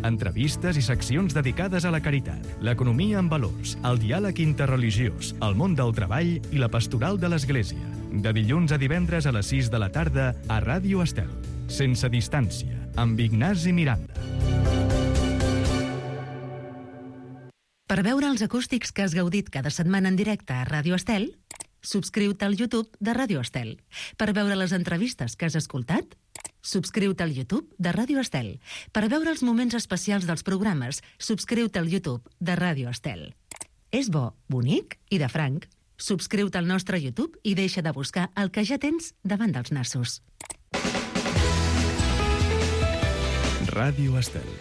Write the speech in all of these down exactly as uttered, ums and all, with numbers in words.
Entrevistes i seccions dedicades a la caritat, l'economia amb valors, el diàleg interreligiós, el món del treball i la pastoral de l'Església. De dilluns a divendres a les sis de la tarda a Ràdio Estel. Sense distància, amb Ignasi Miranda. Per veure els acústics que has gaudit cada setmana en directe a Ràdio Estel, subscriu-te al YouTube de Ràdio Estel. Per veure les entrevistes que has escoltat, subscriu-te al YouTube de Ràdio Estel. Per veure els moments especials dels programes, subscriu-te al YouTube de Ràdio Estel. És bo, bonic i de franc. Subscriu-te al nostre YouTube i deixa de buscar el que ja tens davant dels nassos. Ràdio Estel.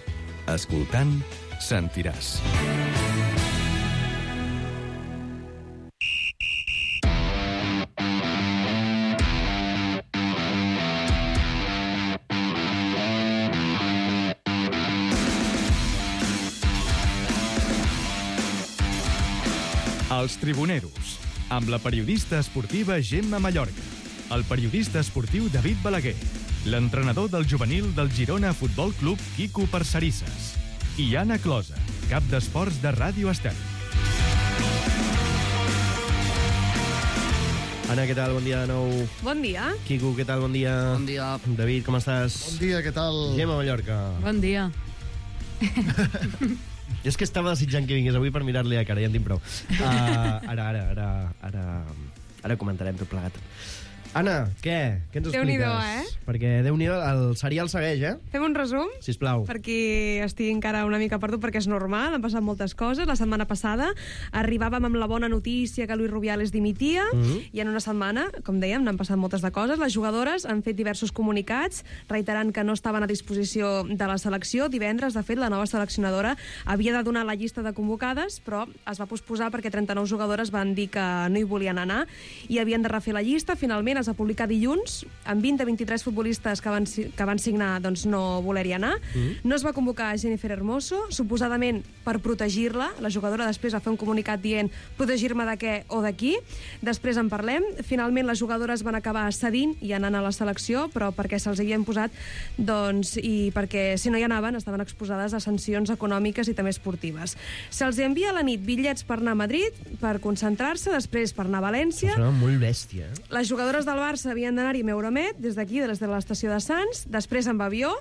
Escoltant, sentiràs. Els Tribuneros, amb la periodista esportiva Gemma Mallorca, el periodista esportiu David Balaguer, l'entrenador del juvenil del Girona Futbol Club Quico Parcerisses i Anna Closa, cap d'esports de Ràdio Estel. Anna, què tal? Bon dia de nou. Bon dia. Quico, què tal? Bon dia. Bon dia. David, com estàs? Bon dia, què tal? Gemma Mallorca. Bon dia. Jo és que estava desitjant que vingués avui per mirar-li a cara, ja en tinc prou. Uh, ara, ara, ara, ara, ara comentarem tot plegat. Anna, què? Què ens expliques? Déu-n'hi-do, eh? Perquè Déu-n'hi-do, el serial segueix, eh? Fem un resum? Sisplau. Per qui estigui encara una mica perdut, perquè és normal, han passat moltes coses. La setmana passada arribàvem amb la bona notícia que Luis Rubiales dimitia, mm-hmm. i en una setmana, com dèiem, n'han passat moltes de coses. Les jugadores han fet diversos comunicats reiterant que no estaven a disposició de la selecció. Divendres, de fet, la nova seleccionadora havia de donar la llista de convocades, però es va posposar perquè trenta-nou jugadores van dir que no hi volien anar i havien de refer la llista. Finalment es va publicar dilluns, amb vint a vint-i-tres futbolistes que van, que van signar doncs, no voler-hi anar. Mm. No es va convocar a Jennifer Hermoso, suposadament per protegir-la. La jugadora després va fer un comunicat dient protegir-me de què o d'aquí. Després en parlem. Finalment les jugadores van acabar cedint i anant a la selecció, però perquè se'ls havien posat, doncs, i perquè si no hi anaven estaven exposades a sancions econòmiques i també esportives. Se'ls envia a la nit bitllets per anar a Madrid, per concentrar-se, després per anar a València. Això sona molt bèstia, eh? Les jugadores del Barça havien d'anar-hi amb Euromed, des d'aquí, des de l'estació de Sants, després amb avió,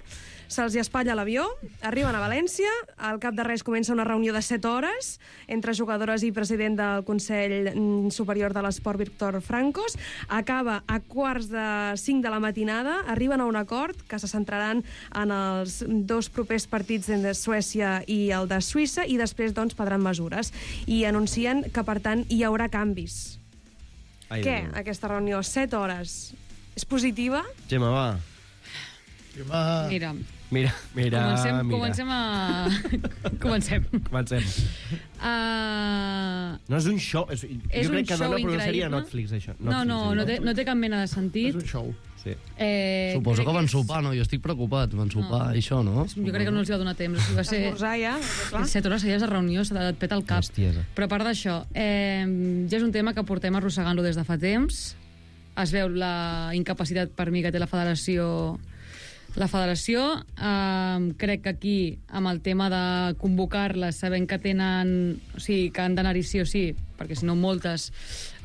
se'ls hi espatlla l'avió, arriben a València, al cap de res comença una reunió de set hores entre jugadores i president del Consell Superior de l'Esport, Víctor Francos, acaba a quarts de cinc de la matinada, arriben a un acord que se centraran en els dos propers partits de Suècia i el de Suïssa, i després doncs prendran mesures, i anuncien que per tant hi haurà canvis. Ai, què, Déu. Aquesta reunió? Set hores. És positiva? Gemma, va. Gemma... Mira, Mira, mira, comencem, mira. comencem a... comencem. Comencem. Uh... No és un show. És, és jo crec que dona per una sèrie a increïble. Netflix, això. Netflix, No, no, no té, no té cap mena de sentit. És un show. Sí. Eh, Suposo que van és... sopar, no? Jo estic preocupat. Van sopar, no. Això, no? Jo crec que no els va donar temps. O sigui, va ser... Esmorzar ja, clar. Set hores seguides de reunió, s'ha et peta el cap. Hostiesa. Però a part d'això, eh, ja és un tema que portem arrossegant-lo des de fa temps. Es veu la incapacitat per mi que té la federació. La federació, eh, crec que aquí, amb el tema de convocar-les, sabent que tenen... O sigui, que han d'anar-hi sí o sí, perquè si no moltes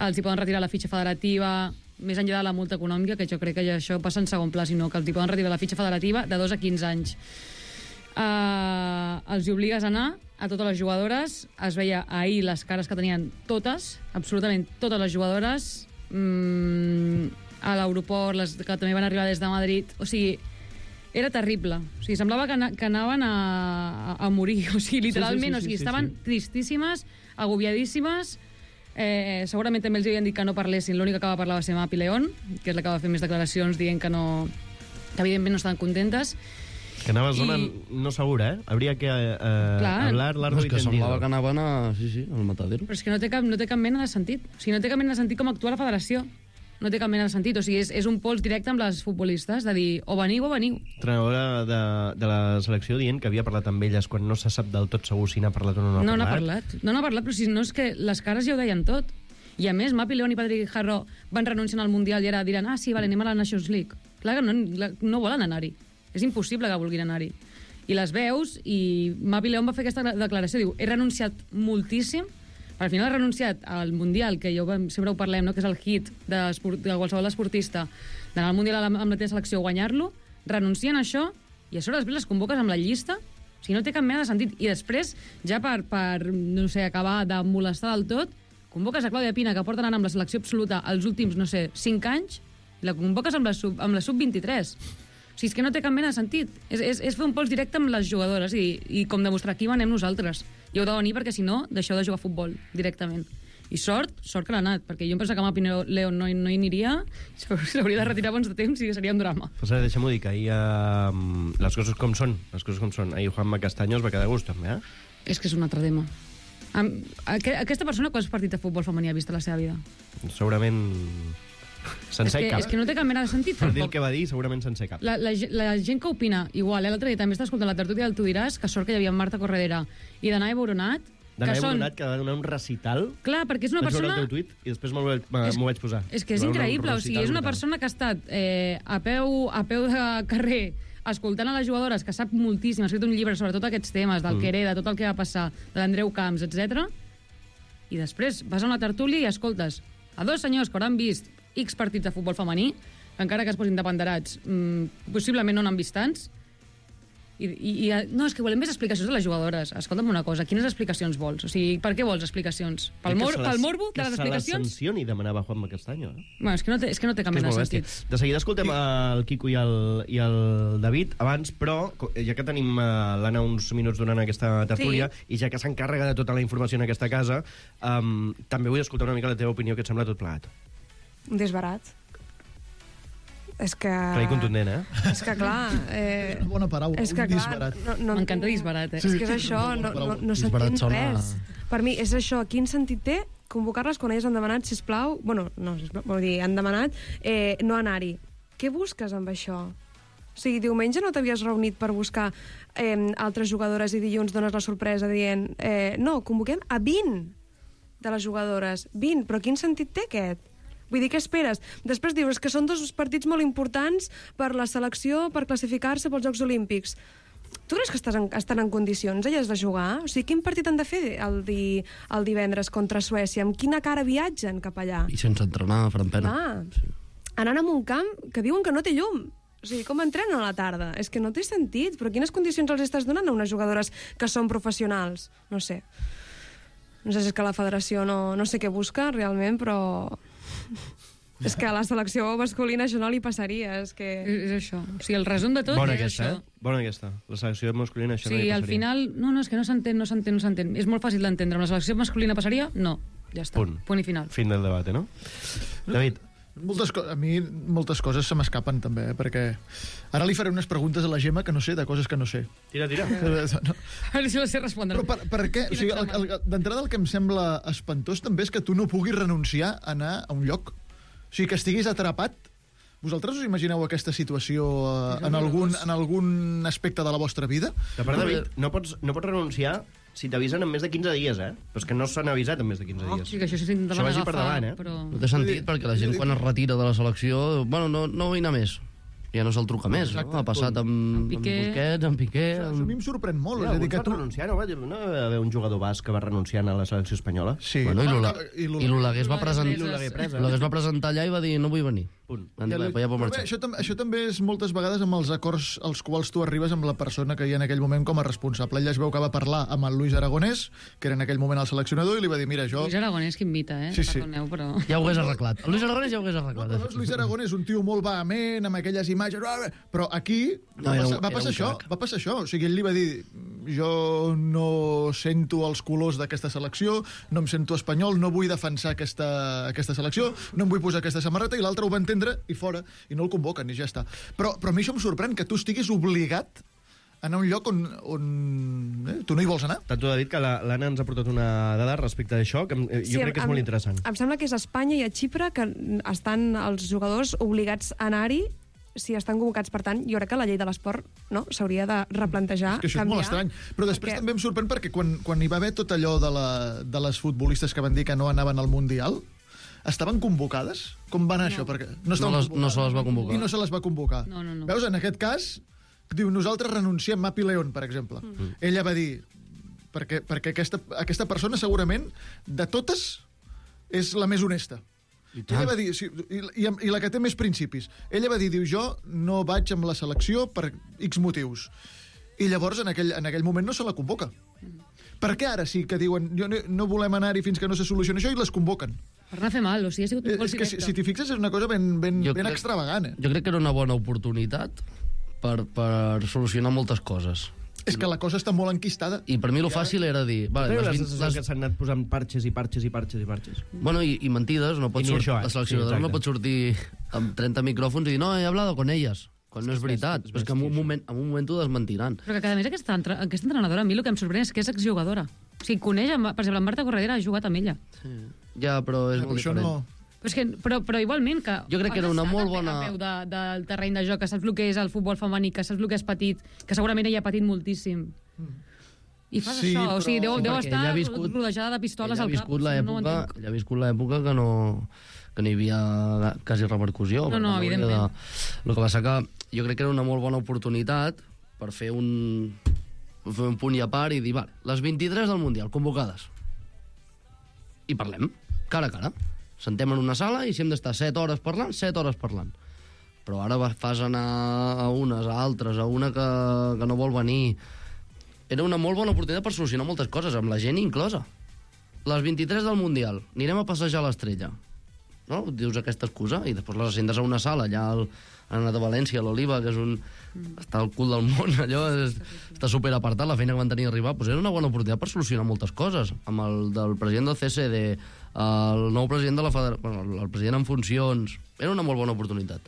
els hi poden retirar la fitxa federativa, més enllà de la multa econòmica, que jo crec que ja això passa en segon pla, sinó que els hi poden retirar la fitxa federativa de dos a quinze anys. Eh, els hi obligues a anar a totes les jugadores. Es veia ahir les cares que tenien totes, absolutament totes les jugadores, mm, a l'aeroport, les que també van arribar des de Madrid. O sigui, era terrible. O sigui, semblava que, que anaven a, a, a morir. O sigui, literalment, sí, sí, sí, o sigui, sí, estaven sí, sí. tristíssimes, agobiadíssimes. Eh, segurament també els havien dit que no parlessin. L'única que va parlar va ser Mapi León, que és la que va fer més declaracions dient que no, que evidentment no estaven contentes. Que anava a zona I... no segura, eh? Habría que eh, hablar largo no, y tendido. És que semblava que anaven a... Sí, sí, al matadero. Però és que no té cap, no té cap mena de sentit. O sigui, no té cap mena de sentit com actua la federació. No té cap mena de sentit. O sigui, és, és un pols directe amb les futbolistes, de dir, o veniu o veniu. Entrenadora de, de la selecció dient que havia parlat amb elles quan no se sap del tot segur si n'ha parlat o no n'ha no, parlat. No n'ha parlat. No n'ha parlat, però si no és que les cares ja ho deien tot. I a més, Mapi León i Patrick Harro van renunciar al Mundial i ara diran, ah, sí, vale, anem a la Nations League. Clar que no, no volen anar-hi. És impossible que vulguin anar-hi. I les veus, i Mavi León va fer aquesta declaració, diu, he renunciat moltíssim, al final ha renunciat al Mundial, que jo sempre ho parlem, no? Que és el hit de, de qualsevol esportista, d'anar al Mundial amb la teva selecció, guanyar-lo, renuncien a això, i a sobre després les convoques amb la llista, o sigui, no té cap mena de sentit. I després, ja per, per no sé, acabar de molestar del tot, convoques a Clàudia Pina, que porta anant amb la selecció absoluta els últims, no sé, cinc anys, i la convoques amb la sub, amb la sub vint-i-tres. O sigui, és que no té cap mena de sentit. És, és, és fer un pols directe amb les jugadores i, i com demostrar aquí manem nosaltres. I heu de venir perquè, si no, deixeu de jugar a futbol directament. I sort, sort que l'ha anat, perquè jo em pensava que amb Pina León no, no hi aniria, s'hauria de retirar abans de temps i seria un drama. Pues ara, deixa'm-ho dir, que ahir uh, les coses com són, les coses com són. Ahir Juanma Castaño es va quedar a gust, també, eh? És que és un altre tema. Am, aqu aquesta persona quants partits de futbol femení ha vist a la seva vida? Segurament sencer és que, cap. És que no té cap mena de sentit. Per dir el que va dir, segurament sencer cap. La, la, la gent que opina, igual, eh? L'altre dia també està escoltant la tertúlia del Tu diràs, que sort que hi havia Marta Corredera i Danae Boronat, Danae que són... Boronat, que va donar un recital. Clar, perquè és una vaig persona... veure el teu tuit i després m'ho vaig, És- vaig posar. És que és Va donar un increïble, o sigui, recital és una brutal. persona que ha estat eh, a, peu, a peu de carrer escoltant a les jugadores, que sap moltíssim, ha escrit un llibre sobre tots aquests temes, del Mm. mm. Quereda, tot el que va passar, de l'Andreu Camps, etcètera. I després vas a una tertúlia i escoltes a dos senyors que hauran vist X partits de futbol femení, que encara que es posin de panderats, mmm, possiblement no n'han vist tants, I, i, i, no, és que volem més explicacions de les jugadores. Escolta'm una cosa, quines explicacions vols? O sigui, per què vols explicacions? Pel, mor, pel morbo de les explicacions? Que se les sancioni, demanava Juanma Castaño. Eh? Bueno, és que no té, és que no té cap Que és mena de molt bèstia. sentit. De seguida escoltem el Quico i el, i el David abans, però co- ja que tenim uh, l'Anna uns minuts donant aquesta tertúlia Sí. i ja que s'encarrega de tota la informació en aquesta casa, um, també vull escoltar una mica la teva opinió, que et sembla tot plegat. Un desbarat. És que... Clar i contundent, eh? És que, clar... Eh, Una bona paraula, és que, un clar, disbarat. no, no, M'encanta disbarat, eh? És que és això, no, no, no Disbarat s'entén sona- res. Per mi és això, quin sentit té convocar-les quan elles han demanat, sisplau... Bueno, no, sisplau, vol dir, han demanat eh, no anar-hi. Què busques amb això? O sigui, diumenge no t'havies reunit per buscar eh, altres jugadores i dilluns dones la sorpresa dient eh, no, convoquem a vint de les jugadores. vint, però quin sentit té aquest? Vull dir, què esperes? Després dius que són dos partits molt importants per la selecció, per classificar-se pels Jocs Olímpics. Tu creus que estàs en, estan en condicions, elles, de jugar? O sigui, quin partit han de fer el, di, el divendres contra Suècia? Amb quina cara viatgen cap allà? I sense entrenar, faran pena. Ah, anant a un camp que diuen que no té llum. O sigui, com entrenen a la tarda? És que no té sentit. Però quines condicions els estàs donant a unes jugadores que són professionals? No sé. No sé si és que la federació no, no sé què busca realment, però... És que a la selecció masculina això no li passaria. És que... És, és això. O sigui, el resum de tot Bona és aquesta, això. eh? Bona aquesta. La selecció masculina, això O no sigui, hi al passaria. final... No, no, és que no s'entén, no s'entén, no s'entén. És molt fàcil d'entendre. Amb la selecció masculina passaria? No. Ja està. Punt. Punt i final. Fin del debat, no? David, Moltes co- a mi moltes coses se m'escapen també, eh? Perquè ara li faré unes preguntes a la Gemma que no sé, de coses que no sé. tira, tira. Eh, no. A veure si la sé respondre. Però per, per què? O sigui, el, el, d'entrada el que em sembla espantós també és que tu no puguis renunciar a anar a un lloc. O sigui, que estiguis atrapat. Vosaltres us imagineu aquesta situació eh, en, algun, en algun aspecte de la vostra vida? De part, David, no pots, no pots renunciar si t'avisen en més de quinze dies, eh? Però és que no s'han avisat en més de quinze Oh, dies. sí, que això s'intentaven Això vagi per agafar, davant, eh? però... No té sentit, perquè la gent quan es retira de la selecció... Bueno, no, no vull anar més. Ja no se'l truca més, Exacte, no? Ha passat amb, Amb amb Piqué. Busquets, amb Piqué... Això, això a mi em sorprèn molt. Ja, és a dir, alguns que van tu... renunciar, no? Va, no va haver un jugador basc que va renunciar a la selecció espanyola? Sí. Bueno, i l'Ola- Ah, i i l'Olaguer es va presentar... L'Olaguer presa. L'Olaguer es va presentar allà i va dir no vull venir. Punt. Van dir, Ja ja, li- ja pot Però bé, marxar. això, tam això també és moltes vegades amb els acords als quals tu arribes amb la persona que hi ha en aquell moment com a responsable. Ella es veu que va parlar amb el Luis Aragonès, que era en aquell moment el seleccionador, i li va dir, mira, jo... Luis Aragonès que invita, eh? Sí, sí. Perdoneu, però... Ja ho hagués arreglat. El Luis Aragonès ja ho hagués No, arreglat. però no és Luis Aragonès, un tio molt vehement, amb aquelles imatges... Però aquí No, va, era un- passar, va era passar un això, crac. va passar això. O sigui, ell li va dir, jo no sento els colors d'aquesta selecció, no em sento espanyol, no vull defensar aquesta, aquesta selecció, no em vull posar aquesta samarreta, i l'altre ho va entendre i fora, i no el convoquen, i ja està. Però, però a mi això em sorprèn, que tu estiguis obligat a anar a un lloc on, on eh, tu no hi vols anar. Tant tu, David, que la- l'Anna ens ha portat una dada respecte d'això, que em- eh, jo crec que és em- molt interessant. Em sembla que és a Espanya i a Xipre que estan els jugadors obligats a anar-hi si estan convocats. Per tant, jo crec que la llei de l'esport no, s'hauria de replantejar, És que això canviar. és molt estrany. Però després perquè... també em sorprèn perquè quan, quan hi va haver tot allò de, la, de les futbolistes que van dir que no anaven al Mundial, estaven convocades? Com va anar no. això? Perquè no, estaven No les- convocades. no se les va convocar. I no se les va convocar. No, no, no. Veus, en aquest cas, diu, nosaltres renunciem, Mapi León, per exemple. Mm. Ella va dir, perquè, perquè aquesta, aquesta persona segurament, de totes, és la més honesta. Ella va dir, sí, i, i, i la que té més principis. Ella va dir, diu, jo no vaig amb la selecció per X motius. I llavors, en aquell, en aquell moment, no se la convoca. Per què ara sí que diuen, jo no, no volem anar-hi fins que no se solucioni això, i les convoquen? Per anar a fer mal, o sigui, ha sigut un gol És que, directe. si, si t'hi fixes, és una cosa ben, ben, Jo ben crec- extravagant. Eh? Jo crec que era una bona oportunitat per, per solucionar moltes coses. És que la cosa està molt enquistada. I per mi lo fàcil era dir... Vale, Teniu les la vint- sensació les- que s'han anat posant parxes i parxes i parxes i parxes i parxes. Bueno, i, i mentides, no pot I ni sortir, això, eh? la seleccionadora Sí, no exacte. pot sortir amb trenta micròfons i dir, no, he hablado con ellas, quan no és veritat. és És que en un bèstia, moment, en un moment t'ho desmentiran. Però que, a més, aquesta, entre... aquesta entrenadora, a mi el que em sorprèn és que és exjugadora. O sigui, coneix, amb- per exemple, en Marta Corredera ha jugat amb ella. Sí. Ja, però és Eh, molt això diferent. no... Però, és que, però, però igualment que... Jo crec que era has una estat molt a peu- bona- a peu de, del terreny de joc, que saps el que és el futbol femení, que saps el que és petit, que segurament ella ha patit moltíssim. I fas Sí, això, o sigui, deu, Sí, deu perquè estar ella ha viscut- rodejada de pistoles Ella ha al cap. viscut o sigui, no ho l'època entenc. ella ha viscut l'època que no, que no hi havia quasi repercussió. No, per no, tant, hauria evidentment. De... El que passa que jo crec que era una molt bona oportunitat per fer un, fer un punt i a part i dir, vale, les vint-i-tres del Mundial, convocades. I parlem, cara a cara. Sentem en una sala i si hem d'estar set hores parlant, set hores parlant. Però ara va- fas anar a unes, a altres, a una que, que no vol venir. Era una molt bona oportunitat per solucionar moltes coses, amb la gent inclosa. Les vint-i-tres del Mundial, anirem a passejar l'Estrella. No? Dius aquesta excusa i després les sentes a una sala, allà al, han anat a València, a l'Oliva, que és un... està al cul del món, allò és, està superapartat, la feina que van tenir a arribar. Doncs era una bona oportunitat per solucionar moltes coses. Amb el del president del C C D, el nou president de la federació, bueno, el president en funcions... Era una molt bona oportunitat.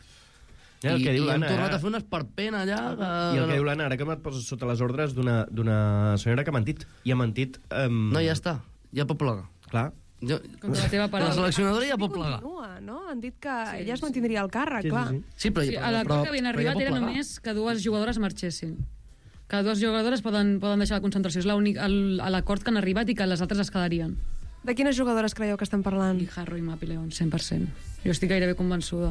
Ja, el I, que diu i hem l'Anna, tornat eh? a fer un esperpent allà... Que... I el que diu l'Anna, ara que m'et poses sota les ordres d'una d'una senyora que ha mentit. I ha mentit... Um... No, ja està, ja pot plegar. Clar. Jo... Contra la teva La paraula. seleccionadora ja pot I plegar. continua, no? Han dit que sí, ella es mantindria al càrrec, Sí, sí, clar. sí. Sí, però, Sí, a l'acord que havien arribat era només que dues jugadores marxessin. Que dues jugadores poden, poden deixar la concentració. És l'únic- el- a l'acord que han arribat i que les altres es quedarien. De quines jugadores creieu que estan parlant? Guijarro i Mapi León, cent per cent. Jo estic gairebé convençuda.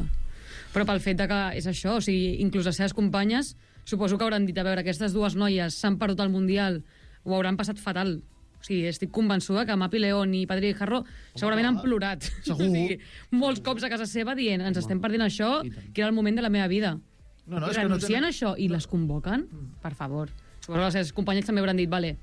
Però pel fet de que és això, o sigui, inclús les seves companyes, suposo que hauran dit, a veure, aquestes dues noies s'han perdut el Mundial, ho hauran passat fatal. O sigui, estic convençuda que Mapi León i Padre Guijarro segurament han plorat. segur. O sigui, molts cops a casa seva dient, ens estem perdent això, que era el moment de la meva vida. No, no, I és que no renuncien tenen- a això i les convoquen? Per favor. Suposo que les seves companyes també hauran dit, vale,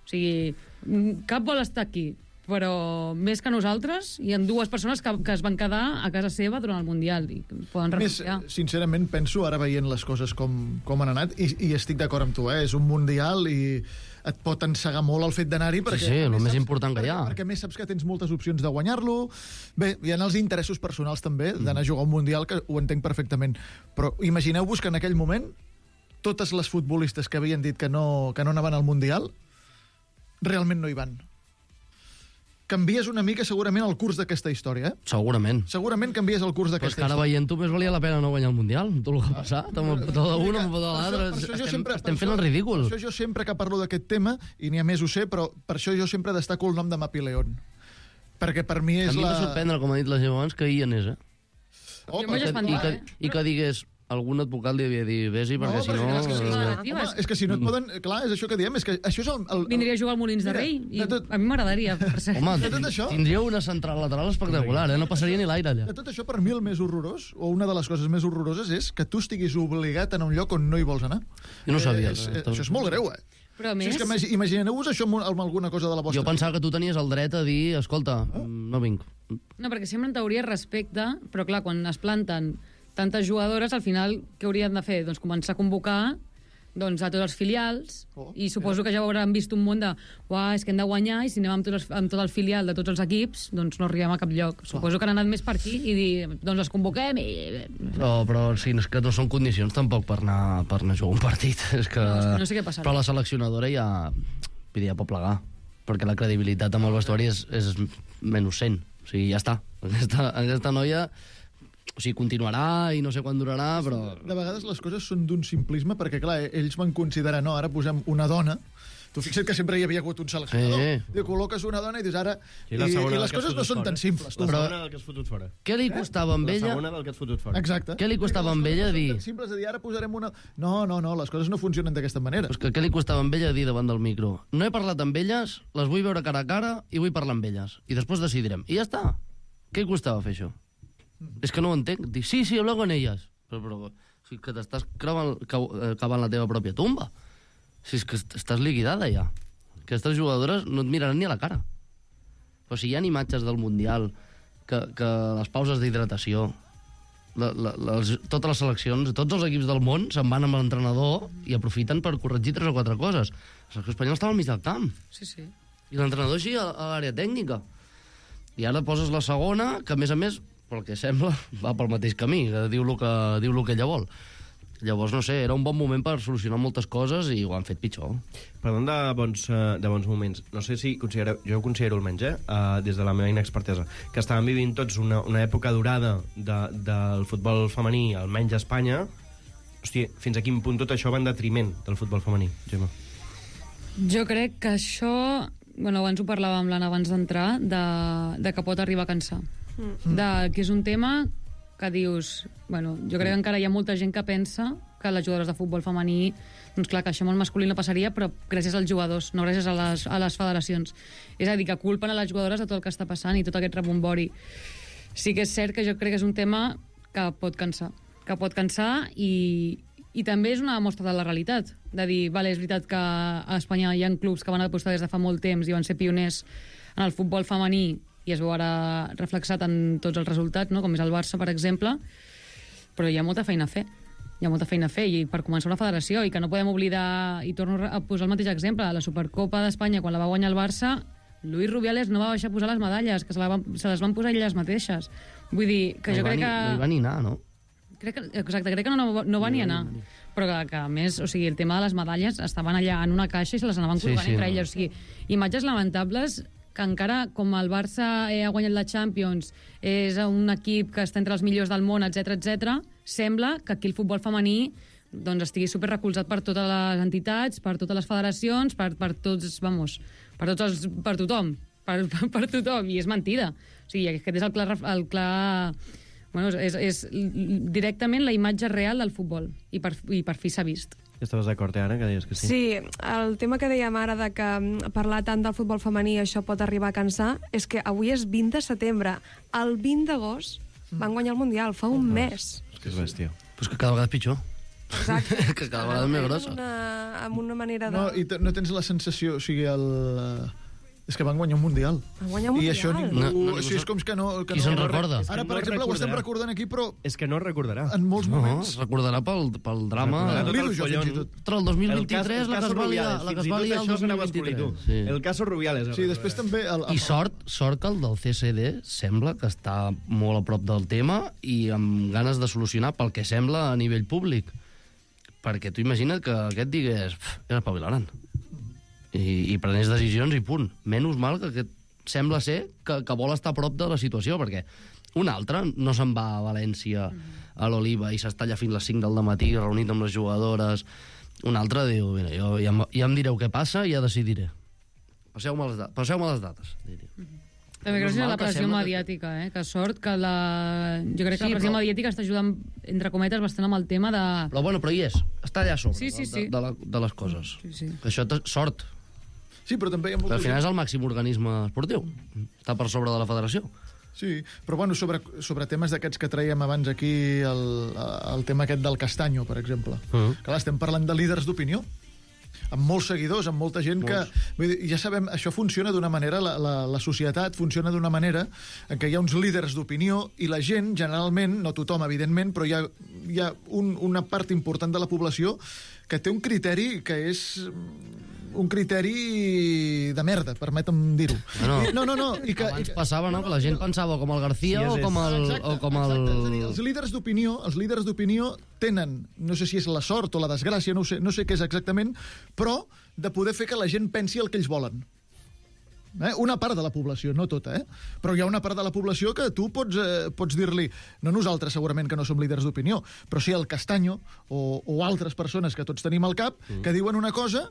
o sigui, mm, cap vol estar aquí, però més que nosaltres, hi ha dues persones que, que es van quedar a casa seva durant el Mundial i poden Més, renunciar. sincerament, penso, ara veient les coses com, com han anat, i, i estic d'acord amb tu, eh? És un mundial i et pot encegar molt el fet d'anar-hi, perquè... sí, a el més més saps- important que hi ha. Perquè, perquè a més saps que tens moltes opcions de guanyar-lo. Bé, hi ha els interessos personals també d'anar a jugar a un mundial, que ho entenc perfectament. Però imagineu-vos que en aquell moment totes les futbolistes que havien dit que no, que no anaven al mundial realment no hi van. Canvies una mica segurament el curs d'aquesta història, eh? Segurament. Segurament canvies el curs Però és d'aquesta que ara història. veient-ho més valia la pena no guanyar el Mundial, amb tot el que ha passat, amb el petó d'una, amb el petó de l'altre. Per això- per això jo Estem, sempre- estem per fent el això- ridícul. Per això jo sempre que parlo d'aquest tema, i n'hi ha més ho sé, però per això jo sempre destaco el nom de Mapi León. Perquè per mi A és mi la... em va sorprendre, com ha dit la gent abans, que hi anés, eh? Oh, Jo m'ho he perquè- espantat, I que, eh? I que digués, algun advocat li havia dit, vés-hi, No, perquè si perquè no... és que si no, eh, home, és que si no et poden... Clar, és això que diem, és que això és el... el, el Vindria a jugar al Molins de Mira, Rei i de tot- a mi m'agradaria, per cert. Home, De tot això? tindria una central lateral espectacular, eh? No passaria ni l'aire allà. De tot això, per mi el més horrorós, o una de les coses més horroroses, és que tu estiguis obligat a anar a un lloc on no hi vols anar. Jo no ho sabia, Eh, és, eh, eh, això és molt greu, eh? Però a Si més, és que imagi- imagineu-vos això amb, amb alguna cosa de la vostra... Jo pensava que tu tenies el dret a dir, escolta, no vinc. no, perquè sempre en teoria respecte, però clar, quan es planten tantes jugadores, al final, què haurien de fer? Doncs començar a convocar doncs, a tots els filials, Oh, i suposo que ja hauran vist un munt de uah, és que hem de guanyar, i si anem amb, tots els, amb tot el filial de tots els equips, doncs no arribem a cap lloc. Suposo que han anat més per aquí i dir, doncs les convoquem i... Però, però sí, és que no són condicions tampoc per anar, per anar a jugar un partit. És que... No, és que no sé què passarà. Però la seleccionadora ja, vull dir, ja pot plegar, perquè la credibilitat amb el vestuari és, és menys cent. O sigui, ja està. Aquesta, aquesta noia... O sigui, continuarà i no sé quan durarà, però... De vegades les coses són d'un simplisme, perquè, clar, ells van considerar, no, ara posem una dona Tu fixa't que sempre hi havia hagut un seleccionador. Sí. Diu, col·loques una dona i dius ara... I I, la segona i del les que has coses no fotut són fora. tan simples. Tu. La Però- segona del que has fotut fora. Què li costava amb La ella? segona del que has fotut fora. Exacte. Què li costava amb ella No dir... són tan simples de dir, ara posarem una... No, no, no, les coses no funcionen d'aquesta manera. Pues que què li costava amb ella dir davant del micro? No he parlat amb elles, les vull veure cara a cara i vull parlar amb elles. I després decidirem. I ja està. Què li costava fer això? És que no ho entenc. Dic, sí, sí, hablo con ellas. Però, però o sigui, que t'estàs cavant, cavant la teva pròpia tumba. Si és que est- estàs liquidada ja. Aquestes jugadores no et miraran ni a la cara. Però si hi ha imatges del Mundial, que, que les pauses d'hidratació, la, la, les, totes les seleccions, tots els equips del món se'n van amb l'entrenador i aprofiten per corregir tres o quatre coses. La selecció espanyola estava al mig del camp. Sí, sí. I l'entrenador així a, a l'àrea tècnica. I ara poses la segona, que a més a més, pel que sembla, va pel mateix camí, que diu el que, diu el que ella vol. Llavors, no sé, era un bon moment per solucionar moltes coses i ho han fet pitjor. Parlant de bons, eh, de bons moments, no sé si considereu, jo ho considero almenys, eh, eh, des de la meva inexpertesa, que estàvem vivint tots una, una època dorada de, del futbol femení, almenys a Espanya. Hòstia, fins a quin punt tot això va en detriment del futbol femení, Gemma? Jo crec que això... Bueno, abans ho parlàvem, l'Anna, abans d'entrar, de, de que pot arribar a cansar. Mm. De, que és un tema que dius... Bueno, jo crec que encara hi ha molta gent que pensa que les jugadores de futbol femení, doncs clar, que això amb el masculí no passaria, però gràcies als jugadors, no gràcies a les, a les federacions. És a dir, que culpen a les jugadores de tot el que està passant i tot aquest rebombori. Sí que és cert que jo crec que és un tema que pot cansar. Que pot cansar i, i també és una mostra de la realitat. De dir, vale, és veritat que a Espanya hi ha clubs que van apostar des de fa molt temps i van ser pioners en el futbol femení i es veu ara reflexat en tots els resultats, no? Com és el Barça, per exemple, però hi ha molta feina a fer. Hi ha molta feina a fer, i per començar una federació, i que no podem oblidar, i torno a posar el mateix exemple, la Supercopa d'Espanya, quan la va guanyar el Barça, Luis Rubiales no va baixar a posar les medalles, que se, la van, se les van posar elles mateixes. Vull dir, que no jo crec ni, que... No hi va ni anar, no? Crec que, exacte, crec que no, no, no va ni anar. Però que, que, a més, o sigui, el tema de les medalles estaven allà en una caixa i se les anaven Sí, colgant sí, entre no. elles. O sigui, imatges lamentables que encara, com el Barça eh, ha guanyat la Champions, és un equip que està entre els millors del món, etc etc, sembla que aquí el futbol femení doncs, estigui super recolzat per totes les entitats, per totes les federacions, per, per tots, vamos, per tots els, per tothom, per, per, per tothom, i és mentida. O sigui, aquest és el clar... El clar bueno, és, és directament la imatge real del futbol, i per, i per fi s'ha vist. Estaves d'acord, eh, Anna, que deies que sí? Sí, el tema que dèiem ara de que parlar tant del futbol femení això pot arribar a cansar és que avui és vint de setembre. El vint d'agost van guanyar el Mundial, fa un mes. És que és bèstia. Pues que cada vegada és pitjor. Exacte. que cada vegada és més grossa. Una, amb una manera de... No, i te- no tens la sensació, o sigui, el... eh, és que van guanyar un Mundial. Van guanyar un I Mundial. això ningú... No, no, o sigui, és com que no... Que Qui no, se'n no- recorda? Ara, per no exemple, ho estem recordarà. recordant aquí, però És que no recordarà. en molts No, moments... es recordarà pel, pel drama... Recordarà tot Lido el jo, follon. fins i tot. Entre el dos mil vint-i-tres, la que es va liar, la que es va liar el dos mil vint-i-tres. Sí. El caso Rubiales. Sí, després també... El, el, I sort, sort que el del C C D sembla que està molt a prop del tema i amb ganes de solucionar pel que sembla a nivell públic. Perquè tu imagina't que aquest digués "Pff, és espavilaran. I, i prenés decisions i punt. Menys mal que aquest sembla ser que, que vol estar a prop de la situació, perquè un altre no se'n va a València, a l'Oliva, i s'està allà fins les cinc del matí reunit amb les jugadores. Un altre diu, mira, jo, ja, em- ja em direu què passa i ja decidiré. Passeu-me les, da passeu les dates, diria. També gràcies a Normal la que pressió sembla que- mediàtica, eh? Que sort que la... Jo crec que Sí, la pressió però- mediàtica està ajudant, entre cometes, bastant amb el tema de... Però bueno, però hi és, està allà a sobre Sí, sí, de, sí. de, la, de les coses. Sí, sí. Això té sort, Sí, però també hi ha però molta al final gent... és el màxim organisme esportiu. Està per sobre de la federació. Sí, però bueno, sobre, sobre temes d'aquests que traiem abans aquí, el, el tema aquest del Castanyo, per exemple. Uh-huh. Clar, estem parlant de líders d'opinió, amb molts seguidors, amb molta gent que... Vull dir, ja sabem, això funciona d'una manera, la, la, la societat funciona d'una manera en què hi ha uns líders d'opinió i la gent, generalment, no tothom, evidentment, però hi ha, hi ha un, una part important de la població que té un criteri que és un criteri de merda, permetem dir-ho. Bueno, I- no, no, no. I que, Abans i que, passava, no?, que la gent pensava com el García Sí, és- o com el... Exacte, o com el... exacte. És a dir, els líders d'opinió, els líders d'opinió tenen, no sé si és la sort o la desgràcia, no ho sé, no sé què és exactament, però de poder fer que la gent pensi el que ells volen. Eh? Una part de la població, no tota, eh? Però hi ha una part de la població que tu pots, eh, pots dir-li, no nosaltres segurament que no som líders d'opinió, però sí el Castanyo o, o altres persones que tots tenim al cap, mm. que diuen una cosa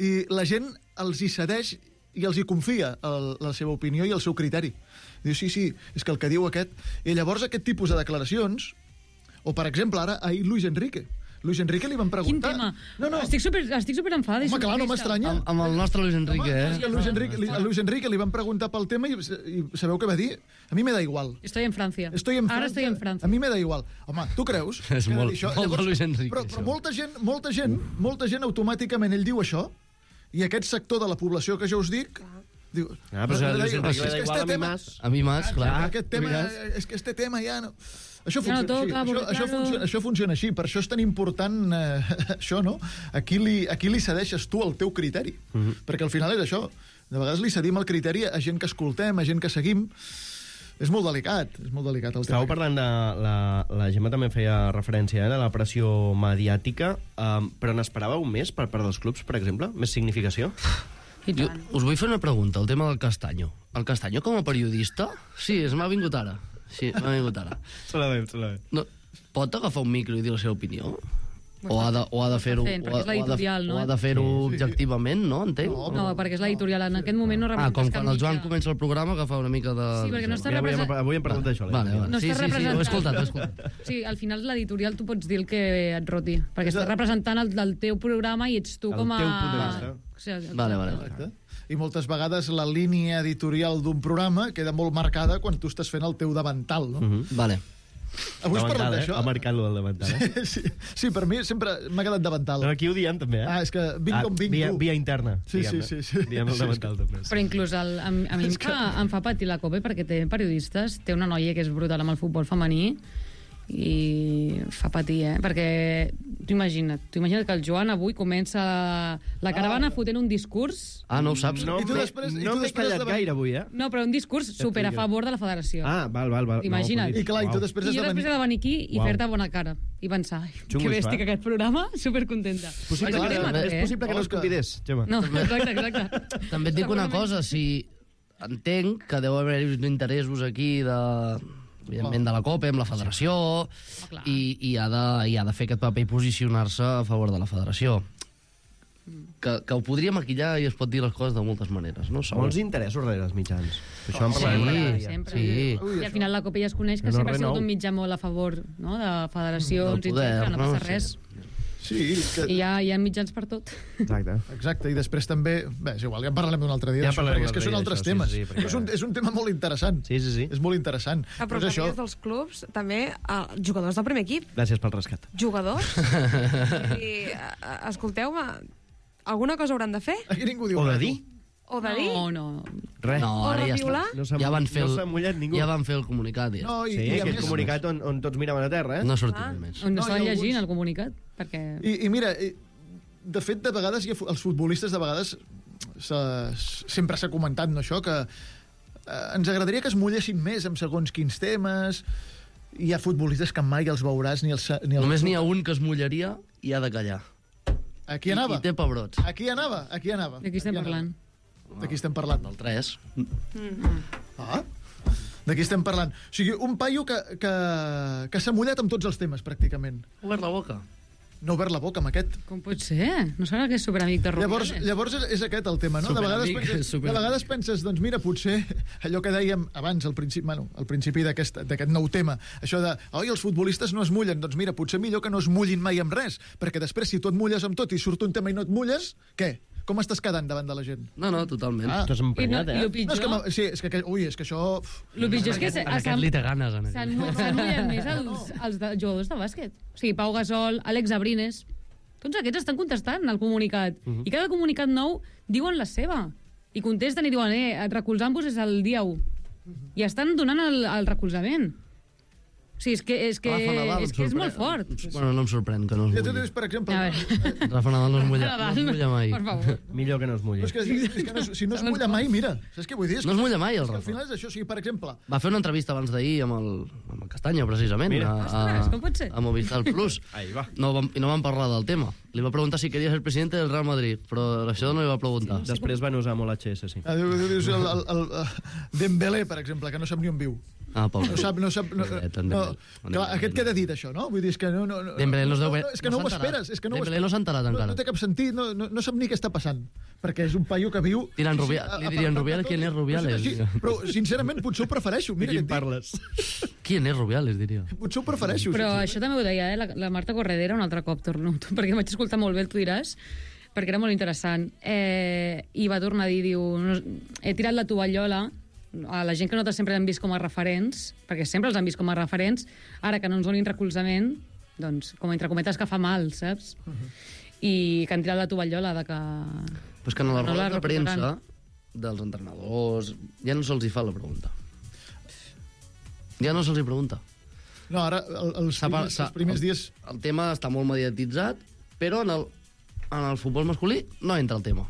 i la gent els hi cedeix i els hi confia el, la seva opinió i el seu criteri. Diu, sí, sí, és que el que diu aquest... I llavors aquest tipus de declaracions, o per exemple, ara, ahir Luis Enrique. Luis Enrique li van preguntar... Quin tema? No, no. Estic super, estic super enfada. Home, clar, no m'estranya. Amb, amb el nostre Luis Enrique, Home, eh? és que a Luis Enrique, li, a Luis Enrique li van preguntar pel tema i, i sabeu què va dir? A mi me da igual. Estoy en Francia. Estoy en Ara Francia. estoy en Francia. A mi me da igual. Home, tu creus? És que molt- dir això? molt de Luis Enrique, Però, però això. molta gent, molta gent, molta gent automàticament ell diu això i aquest sector de la població que jo us dic diu... Ah, però si a Luis Enrique és li da que igual, este a mi tema- más. A mi más, clar. Ah, aquest tema, és que este tema ja no... Això Ja no funciona, toca, així. porque Això, això, claro- funciona, això funciona així. Per això és tan important eh, això, no? Aquí li, aquí li cedeixes tu el teu criteri. Mhm. Perquè al final és això. De vegades li cedim el criteri a gent que escoltem, a gent que seguim. És molt delicat, és molt delicat el tema. Estàveu parlant de... La, la Gemma també feia referència eh, de la pressió mediàtica, um, però n'esperàveu més per part dels clubs, per exemple? Més significació? I Jo tant. us vull fer una pregunta, el tema del Castanyo. El Castanyo com a periodista? Sí, es m'ha vingut ara. Sí, m'ha vingut ara. Se la veig, se la veig. No, pot agafar un micro i dir la seva opinió? O ha de, o ha de fer-ho fent, perquè és o ha- o ha de- l'editorial, no? o ha de fer-ho objectivament, no? Entenc? No, perquè és l'editorial. En aquest moment no Ah, com representes quan cap el Joan mitjà. comença el programa, agafar una mica de... Sí, perquè no està Mira, avui, hem, represent- avui hem parlat d'això. Vale, vale. No sí, està sí, sí, ho he representant. escoltat, ho he escoltat. Sí, al final l'editorial tu pots dir el que et roti, perquè estàs representant el del teu programa i ets tu El com a... teu punt de vista. O sigui, Vale, vale. Exacte. I moltes vegades la línia editorial d'un programa queda molt marcada quan tu estàs fent el teu davantal, no? Mhm. Vale. Avui has parlat d'això? Ha marcat lo del davantal, eh? Sí, sí, per mi sempre m'ha quedat davantal. No, aquí ho diem, també, eh? Ah, és que vinc com vinc, via, tu. via interna, Sí, sí, diguem-ne. sí, sí. Diem el Sí, davantal, també. Però inclús el, a, a mi em fa, em fa patir la COPE perquè té periodistes, té una noia que és brutal amb el futbol femení i fa patir, eh? Perquè tu imagina't, tu imagina't que el Joan avui comença la caravana Ah. fotent un discurs, Ah, no ho saps? No I tu m'he després- i no tu m'he després callat davant- gaire avui, eh? no, però un discurs super a favor de la federació. Ah, val, val, val. Imagina't. I clar, i tu Uau. després I has jo de després venir... he de venir aquí i Uau. fer-te bona cara i pensar, ai, Xungo que això, bèstic eh? aquest programa, supercontenta. Possible, Però que, és que és eh? possible que no es Òscar. convidés, Gemma. No, exacte, exacte. També et dic una Segurament. cosa, si entenc que deu haver interessos aquí de evidentment de la COPE, amb la federació, clar. i, i, ha de, i ha de fer aquest paper i posicionar-se a favor de la federació. Que, que ho podria maquillar i es pot dir les coses de moltes maneres, no? Segur. Molts interessos darrere els mitjans. Això en Sí, parlarem Sempre, cada dia. sempre. sí. I al final la COPE ja es coneix que No, sempre ha res sigut nou. un mitjà molt a favor, no?, de federacions Del i poder, etcètera, no no? passa Sí. res. Sí, és que... I hi ha, hi ha mitjans per tot. Exacte. Exacte, i després també... Bé, és igual, ja en parlarem un altre dia. Ja d'això, parlarem perquè un és que altre són dia altres d'això, temes. sí, sí, perquè- és, un, és un tema molt interessant. Sí, sí, sí. És molt interessant. Ah, però és això. això... dels clubs, també, eh, jugadors del primer equip. Gràcies pel rescat. Jugadors. I, eh, escolteu-me, alguna cosa hauran de fer? Aquí ningú diu O de res, dir. O de dir? No, no. Res. No, O ara de ja violar? està. No s'ha- ja van fer no el, s'ha mullat ningú. Ja van fer el comunicat. tu. Ja. No, i, Sí, i, a aquest més, comunicat on, on tots miraven a terra, eh? No ha sortit Ah. més. On No, estaven hi ha llegint alguns- el comunicat, perquè... I, i mira, i, de fet, de vegades, hi ha, fu- els futbolistes, de vegades, se, sempre s'ha comentat, no, això, que eh, ens agradaria que es mullessin més amb segons quins temes. Hi ha futbolistes que mai els veuràs ni els... Ni els Només n'hi ha un que es mullaria i ha de callar. Aquí anava. I, i té pebrots. Aquí anava, aquí anava. De qui estem Aquí anava. parlant? De qui estem parlant? Del tres. Ah, de qui estem parlant? O sigui, un paio que, que, que s'ha mullat amb tots els temes, pràcticament. Obert la boca. No ha obert la boca amb aquest. Com pot ser? No serà que és superamic de Llavors, Rubiales? llavors és, és aquest el tema, no? De vegades, Superamic, penses, de superamic. vegades penses, doncs mira, potser allò que dèiem abans, al principi, bueno, al principi d'aquest d'aquest nou tema, això de, oi, els futbolistes no es mullen, doncs mira, potser millor que no es mullin mai amb res, perquè després si tu et mulles amb tot i surt un tema i no et mulles, què? Com estàs quedant davant de la gent? No, no, totalment. Ah. T'has I, no, emprenyat, I eh? el No, és que, pitjor... m'ha- sí, és que, ui, és que això... uf, El pitjor és que se- En aquest s'han li té ganes. En s'han aquest. mu- s'han mullat més els, els de, jugadors de bàsquet. O sigui, Pau Gasol, Àlex Abrines... Tots aquests estan contestant al comunicat. Mhm. I cada comunicat nou diuen la seva. I contesten i diuen, eh, recolzant-vos és el dia u. Mhm. I estan donant el, el recolzament. O sigui, és que és, que, Rafa Nadal és, em que és sorprèn- molt fort. Bueno, no em sorprèn que no es Ja tu mulli. dius, per exemple... A veure. Rafa Nadal no es mulla, no es mulla mai. Per favor. Millor que no es mulli. Però és que, és que no, es- si no es mulla mai, mira, saps què vull dir? És No que, es mulla mai, el és que al Rafa. final és això, o sigui, per exemple, Va fer una entrevista abans d'ahir amb, el, amb el Castanya, precisament, Mira. a, Ostres, com pot ser? a Movistar Plus. Ahí va. No vam, I no vam parlar del tema. Li va preguntar si queria ser president del Real Madrid, però això no li va preguntar. Després van usar molt H S, sí. ah, diu- diu- dius el, el, el, el Dembélé, per exemple, que no sap ni on viu. Ah, pobre. No sap, no sap... No, Pobret, en no, Dembélé. clar, aquest queda dit, això, no? Vull dir, és que no... no, no Dembélé no es deu no, bé- no, és que no no, ho s'ha enterat. esperes, és que no ho Dembélé esperes. no s'ha enterat no, encara. No té cap sentit, no, no, no sap ni què està passant, perquè és un paio que viu... Diran sí, sí, Rubiales, a- li a- dirien a- Rubiales, a- ¿quién es Rubiales? Però, sí, però, sincerament, potser ho prefereixo. Mira De què quin et dic. parles? Qui és Rubiales, diria? Potser ho prefereixo. Però sincerament. això també ho deia, eh? la, la Marta Corredera un altre cop, torno, perquè vaig escoltar molt bé, el tu diràs, perquè era molt interessant. Eh, I va tornar a dir, diu, no, he tirat la tovallola a la gent que nosaltres sempre hem vist com a referents, perquè sempre els han vist com a referents, ara que no ens donin recolzament, doncs, com entre cometes que fa mal, saps? Uh -huh. I que han tirat la tovallola de que... Però és que en la No roda la de premsa recuperaran. dels entrenadors ja no se'ls hi fa la pregunta. Ja no se'ls hi pregunta. No, ara, el, els, S'ha pa- primers, s'ha- els primers el, dies... El tema està molt mediatitzat, però en el, en el futbol masculí no entra el tema.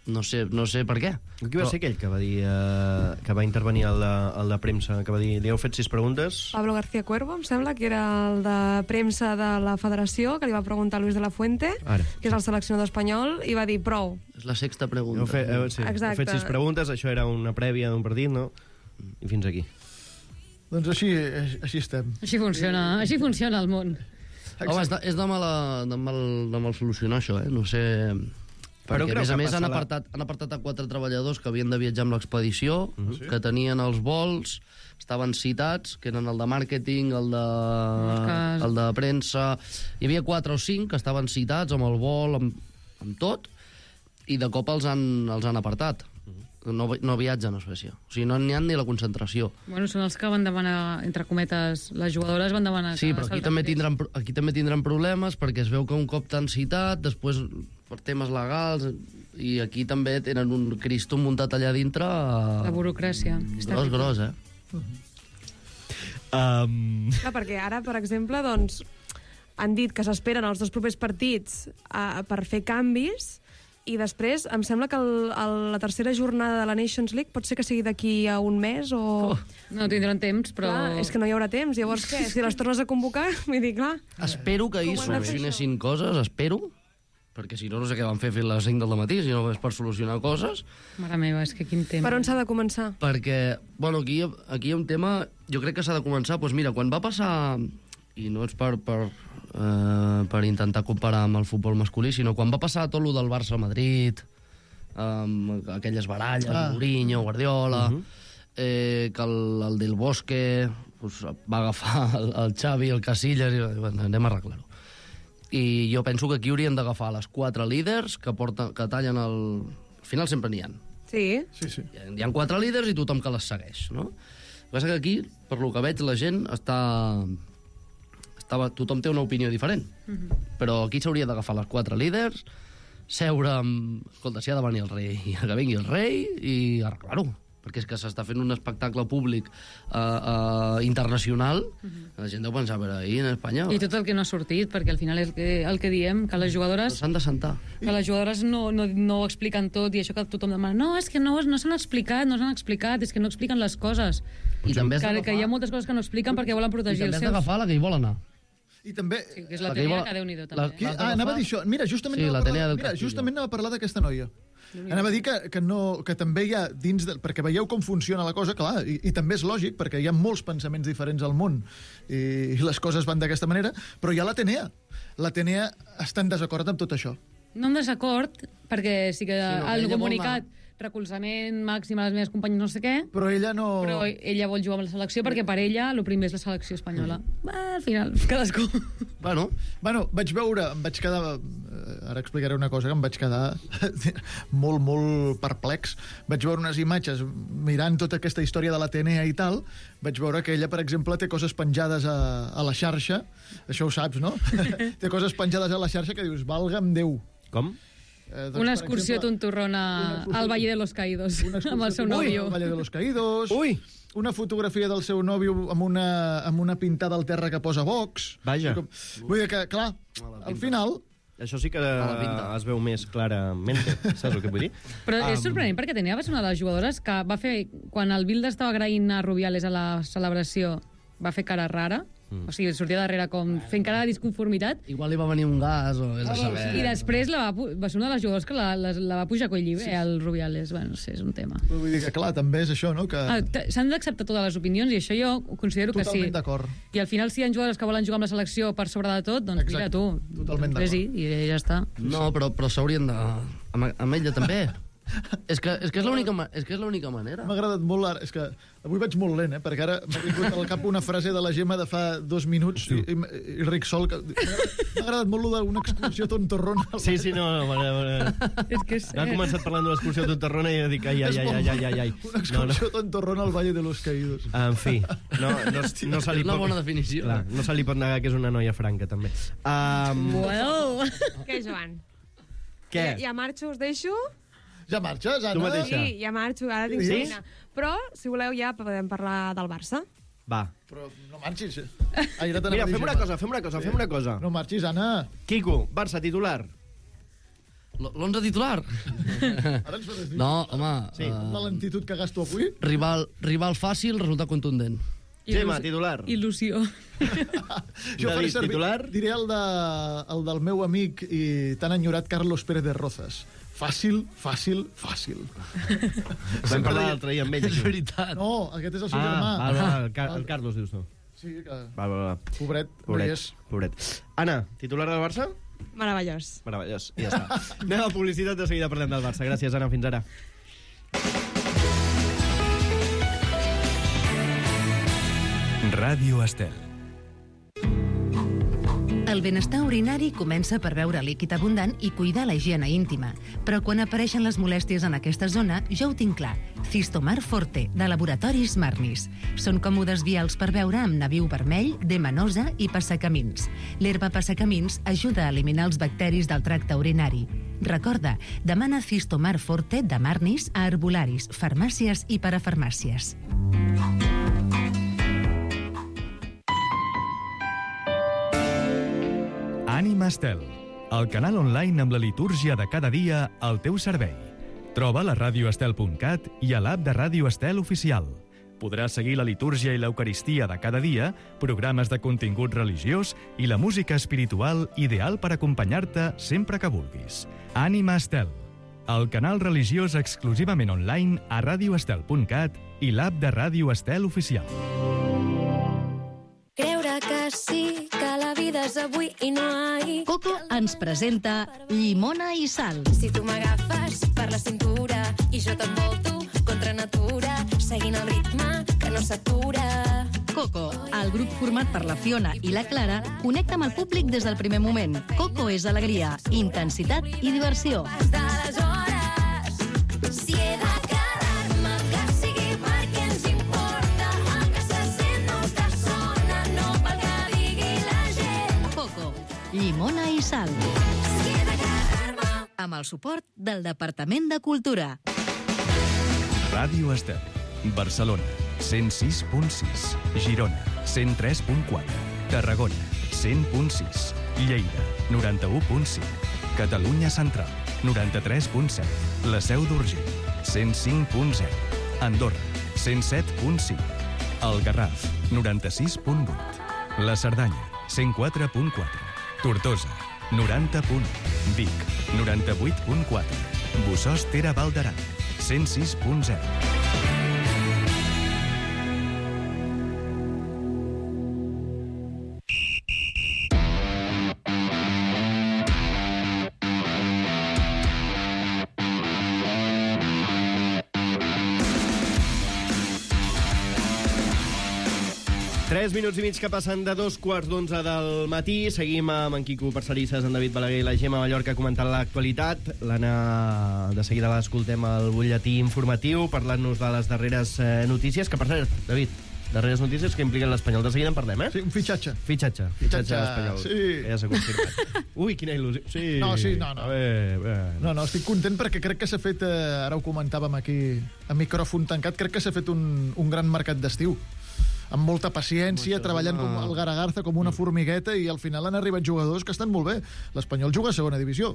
No sé, no sé per què. Qui va Però- ser aquell que va dir eh, que va intervenir al de, al de premsa, que va dir, li heu fet sis preguntes? Pablo García Cuervo, em sembla, que era el de premsa de la federació, que li va preguntar a Luis de la Fuente, Ara. que és el seleccionador espanyol, i va dir prou. És la sexta pregunta. Heu fet, eh, sí, heu Exacte. fet sis preguntes, això era una prèvia d'un partit, no? I fins aquí. Doncs així, així estem. Així funciona, així funciona el món. Home, és de, és de, mala, de, mal, de mal solucionar això, eh? No sé... Però Perquè, creu a més a que més, passa han la- apartat, han apartat a quatre treballadors que havien de viatjar amb l'expedició, uh -huh. que tenien els vols, estaven citats, que eren el de màrqueting, el de, Cas. el de premsa... Hi havia quatre o cinc que estaven citats amb el vol, amb, amb tot, i de cop els han, els han apartat. No, no viatgen a Suècia. O sigui, no n'hi ha ni la concentració. Bueno, són els que van demanar, entre cometes, les jugadores van demanar... Sí, que però aquí se'ls també, retirés. tindran, pro- aquí també tindran problemes perquè es veu que un cop t'han citat, després per temes legals, i aquí també tenen un Cristo muntat allà dintre... La burocràcia. Està Gros, bé. gros, eh? Um... Clar, perquè ara, per exemple, doncs, han dit que s'esperen els dos propers partits a, per fer canvis, i després em sembla que el, el, la tercera jornada de la Nations League pot ser que sigui d'aquí a un mes o... Oh, no tindran temps, però... Clar, és que no hi haurà temps. Llavors, què? Si les tornes a convocar, vull dir, clar... Espero que ahir Com ho han de fer, solucionessin coses, espero, perquè si no, no sé què van fer fins a les cinc del matí, si no és per solucionar coses, Mare meva, és que quin temps. Per on s'ha de començar? perquè, bueno, aquí, aquí hi ha un tema, jo crec que s'ha de començar, doncs mira, quan va passar, i no és per, per, eh, per intentar comparar amb el futbol masculí, sinó quan va passar tot lo del Barça-Madrid, amb aquelles baralles, Ah. ah. Mourinho, Guardiola, uh -huh. eh, que el, el Del Bosque pues, va agafar el, el Xavi, el Casillas, i bueno, anem a arreglar-ho. I jo penso que aquí haurien d'agafar les quatre líders que, porten, que tallen el... Al final sempre n'hi ha. Sí. Sí, sí. Hi ha- Hi ha quatre líders i tothom que les segueix, no? El que passa que aquí, per lo que veig, la gent està... Estava... Tothom té una opinió diferent. Uh -huh. Però aquí s'hauria d'agafar les quatre líders, seure amb... Escolta, si ha de venir el rei, que vingui el rei i arreglar-ho. Perquè és que s'està fent un espectacle públic uh, uh, internacional. Uh -huh. La gent deu pensar, a veure, ahir en Espanya... I tot el que no ha sortit, perquè al final és el que, el que diem, que les jugadores... S'han de sentar. que les jugadores no, no, no ho expliquen tot i això que tothom demana, no, és que no, no s'han explicat, no s'han explicat, és que no expliquen les coses. I també has Que, d'agafar- que hi ha moltes coses que no expliquen perquè volen I protegir també els has seus. d'agafar la que hi vol anar. I també... Sí, que és la La que hi teoria vol- que Déu-n'hi-do, la- també. Qui, L'has ah, anava a dir això. Mira, justament Sí, anava, la a tenia parlar, del mira, Castillo. justament anava a parlar d'aquesta noia. Anava a dir que, que, no, que també hi ha dins... De, perquè veieu com funciona la cosa, clar, i, i també és lògic, perquè hi ha molts pensaments diferents al món, i, i les coses van d'aquesta manera, però hi ha l'Atenea. L'Atenea està en desacord amb tot això. No en desacord, perquè sí que Sinó que el ella vol comunicat recolzament màxim a les meves companyes no sé què, Però ella no... però ella vol jugar amb la selecció perquè per ella el primer és la selecció espanyola. Va, al final, cadascú. Bueno, Bueno, vaig veure, em vaig quedar... eh, Ara explicaré una cosa que em vaig quedar molt, molt perplex. Vaig veure unes imatges mirant tota aquesta història de l'Atenea i tal. Vaig veure que ella, per exemple, té coses penjades a, a la xarxa. Això ho saps, no? Té coses penjades a la xarxa que dius, valga'm Déu. Com? Eh, Una per excursió exemple, tontorrona una excursió- al Valle de los Caídos una excursió amb el seu Ui, nòvio. al Valle de los Caídos. Ui! Una fotografia del seu nòvio amb una, amb una pintada al terra que posa Vox. Vaja. Com- Vull dir que, clar, al final... Això sí que la pinta. es veu més clarament, saps el que vull dir? Però és Um, sorprenent perquè tenia va ser una de les jugadores que va fer, quan el Bilde estava agraint a Rubiales a la celebració, va fer cara rara, Mm. O sigui, sortia darrere com fent cara de disconformitat. Igual li va venir un gas o... És a saber. I després la va, pu- va ser una de les jugadors que la, la, la va pujar a coll llibre, sí. el Rubiales. Bueno, no sé, és un tema. Però vull dir que, clar, també és això, no? Que... Ah, t- S'han d'acceptar totes les opinions i això jo ho considero que sí. Totalment d'acord. I al final, si hi ha jugadors que volen jugar amb la selecció per sobre de tot, doncs Exacte. mira tu. Totalment doncs d'acord. vés-hi i ja està. No, però, però s'haurien de... Amb, amb ella també. és que és, que és l'única ma- és que és l'única manera. M'ha agradat molt ara. És que avui vaig molt lent, eh? Perquè ara m'ha vingut al cap una frase de la Gemma de fa dos minuts i, i, i Ric Sol. Que... M'ha agradat, m'ha agradat molt lo d'una excursió tontorrona. Sí, sí, no, no, no, no. És que és... Ha començat parlant de l'excursió de Tontorrona i jo dic, ai, ai, ai, ai, ai, ai, ai. Una excursió tontorrona al Valle de los Caídos. En fi, no, no, no se li És una pot... bona definició. Clar, no se li pot negar que és una noia franca, també. Um, Well. Què, Joan? què? Ja, ja marxo, us deixo? Ja marxes, Anna? Tu mateixa. Sí, ja marxo, ara tinc Sí? feina. Però, si voleu, ja podem parlar del Barça. Va. Però no marxis. Ai, ara t'anava Mira, a dir, fem una Gemma. cosa, fem una cosa, fem una cosa. No marxis, Anna. Quico, Barça, titular. L- L'onze titular? Ara ens fas dir No, home... Sí. amb la Uh, lentitud que gasto avui. rival, rival fàcil, resultat contundent. Gemma, titular. Il·lusió. Jo faré David, servir, titular? diré el, de, el del meu amic i tan enyorat Carlos Pérez de Rozas. Fàcil, fàcil, fàcil. Vam parlar l'altre dia amb ell. És aquí. veritat. No, aquest és el seu Ah, germà. va, va, el, Car el Carlos, dius tu. Sí, que... Va, va, va. Pobret, no hi Pobret, és. pobret. Anna, titular del Barça? Meravellós. Meravellós, i ja està. Anem a publicitat, de seguida parlem del Barça. Gràcies, Anna, fins ara. Ràdio Estel. El benestar urinari comença per beure líquid abundant i cuidar la higiene íntima. Però quan apareixen les molèsties en aquesta zona, ja ho tinc clar. Cistomar Forte, de Laboratoris Marnis. Són còmodes vials per beure amb nabiu vermell, demanosa i passacamins. L'herba passacamins ajuda a eliminar els bacteris del tracte urinari. Recorda, demana Cistomar Forte de Marnis a herbolaris, farmàcies i parafarmàcies. Ànima Estel, el canal online amb la litúrgia de cada dia al teu servei. Troba a radioestel punt cat i a l'app de Ràdio Estel oficial. Podràs seguir la litúrgia i l'eucaristia de cada dia, programes de contingut religiós i la música espiritual ideal per acompanyar-te sempre que vulguis. Ànima Estel, el canal religiós exclusivament online a radioestel punt cat i l'app de Ràdio Estel oficial. Creure que sí, que la vida és avui i no ahir. Coco ens presenta Llimona i Sal. Si tu m'agafes per la cintura i jo t'envolto contra natura, seguint el ritme que no s'atura. Coco, el grup format per la Fiona i la Clara, connecta amb el públic des del primer moment. Coco és alegria, intensitat i diversió. D'aleshores, si he de quedar-me, que sigui perquè ens importa, el que se sent no que sona, no pel que digui la gent. Coco, Llimona i Sal. Si he de quedar-me... Amb el suport del Departament de Cultura. Ràdio Estel, Barcelona, cent sis punt sis, Girona, cent tres punt quatre, Tarragona, cent punt sis, Lleida, noranta-u punt cinc, Catalunya Central, noranta-tres punt set, La Seu d'Urgell, cent cinc punt zero, Andorra, cent set punt cinc, El Garraf, noranta-sis punt vuit, La Cerdanya, cent quatre punt quatre, Tortosa, noranta punt u, Vic, noranta-vuit punt quatre, Bossòst Tere Val d'Aran, cent sis punt zero. Tres minuts i mig que passen de dos quarts d'onze del matí. Seguim amb en Quico Parcerisses, en David Balaguer i la Gemma Mallorca comentant l'actualitat. L'Anna, de seguida l'escoltem al butlletí informatiu, parlant-nos de les darreres eh, notícies, que per cert, David, darreres notícies que impliquen l'Espanyol. De seguida en parlem, eh? Sí, un fitxatge. Fitxatge. Fitxatge, Fitxatge d'Espanyol. sí. Que ja s'ha confirmat. Ui, quina il·lusió. Sí. No, sí, no, no. A veure, bé. No, no, estic content perquè crec que s'ha fet, eh, ara ho comentàvem aquí, a micròfon tancat, crec que s'ha fet un, un gran mercat d'estiu. Amb molta paciència, treballant com el Garagarza, com una formigueta, i al final han arribat jugadors que estan molt bé. L'Espanyol juga a segona divisió.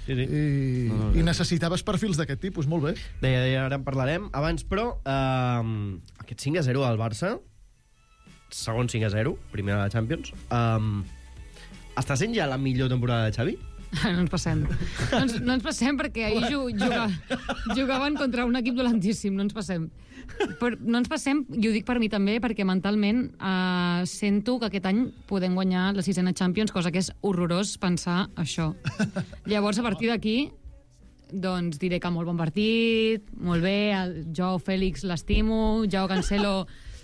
Sí, sí. I, No, no, no. i necessitaves perfils d'aquest tipus, molt bé. Deia, deia, ara en parlarem. Abans, però, eh, aquest cinc a zero al Barça, segon cinc a zero, primer de la Champions. Um, està sent ja la millor temporada de Xavi? No ens passem. No ens, no ens passem perquè ahir juga, jugaven contra un equip dolentíssim, no ens passem. Però no ens passem, i ho dic per mi també, perquè mentalment eh, sento que aquest any podem guanyar la sisena Champions, cosa que és horrorós pensar això. Llavors, a partir d'aquí, doncs diré que molt bon partit, molt bé, el Joao Fèlix l'estimo, Joao Cancelo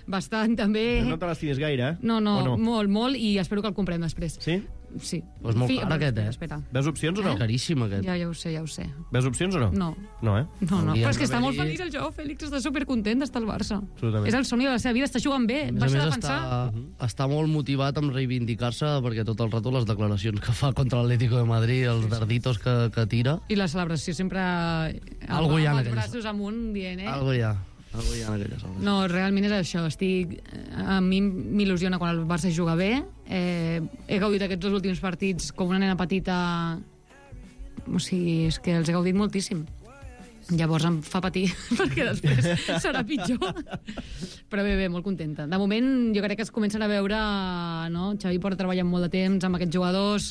bastant també. No te l'estimes gaire, eh? No, no, no, molt, molt, i espero que el comprem després. Sí? Sí. Pues molt car aquest, eh? Espera. Veus opcions o no? Eh? Caríssim, aquest. Ja, ja ho sé, ja ho sé. Veus opcions o no? No. No, eh? No, no, però és que està molt d'haver-hi- feliç el Joao Fèlix, està supercontent d'estar al Barça. Absolutament. És el somni de la seva vida, està jugant bé, A més a baixa a més, defensar. està, està molt motivat amb reivindicar-se perquè tot el rato les declaracions que fa contra l'Atlético de Madrid, els darditos que, que tira... I la celebració sempre... Algo hi ha en amb els aquelles- braços amunt, dient, eh? Algo hi ha. Algo hi ha en aquelles obres. No, realment és això. Estic... A mi m'il·lusiona quan el Barça juga bé. Eh, he gaudit aquests dos últims partits com una nena petita. O sigui, és que els he gaudit moltíssim. Llavors em fa patir, perquè després serà pitjor. Però bé, bé, molt contenta. De moment, jo crec que es comencen a veure... No? Xavi porta treballant molt de temps amb aquests jugadors.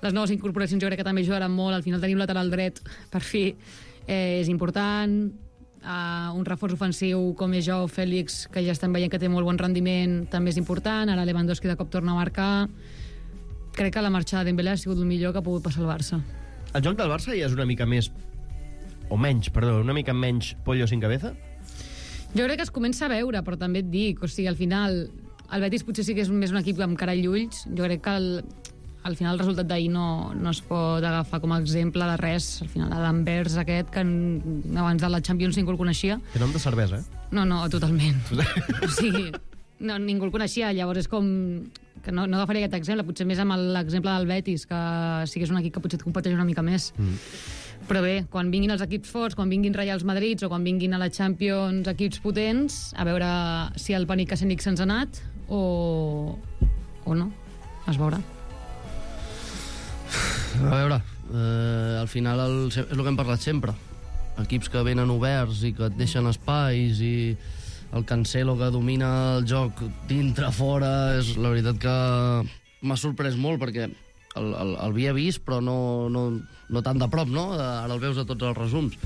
Les noves incorporacions jo crec que també ajudaran molt. Al final tenim lateral dret, per fi. Eh, és important. Uh, un reforç ofensiu com és Joao Fèlix, que ja estem veient que té molt bon rendiment, també és important. Ara Lewandowski de cop torna a marcar. Crec que la marxa de Dembélé ha sigut el millor que ha pogut passar al Barça. El joc del Barça ja és una mica més... O menys, perdó, una mica menys pollo sin cabeza? Jo crec que es comença a veure, però també et dic, o sigui, al final el Betis potser sí que és més un equip amb cara i ulls. Jo crec que el, al final el resultat d'ahir no, no es pot agafar com a exemple de res. Al final l'Anvers aquest, que n- abans de la Champions ningú el coneixia. Que nom de cervesa, eh? No, no, totalment. O sigui, no, ningú el coneixia, llavors és com... que no, no agafaré aquest exemple, potser més amb l'exemple del Betis, que sí que és un equip que potser et competeix una mica més. Mm. Però bé, quan vinguin els equips forts, quan vinguin Reials Madrids o quan vinguin a la Champions equips potents, a veure si el panic escènic se'ns ha anat o, o no. Es veurà. A veure, eh, al final el, és el que hem parlat sempre. Equips que venen oberts i que et deixen espais i el Cancelo que domina el joc dintre, fora, és la veritat que m'ha sorprès molt perquè el, el, el havia vist però no, no, no tan de prop, no? Ara el veus a tots els resums.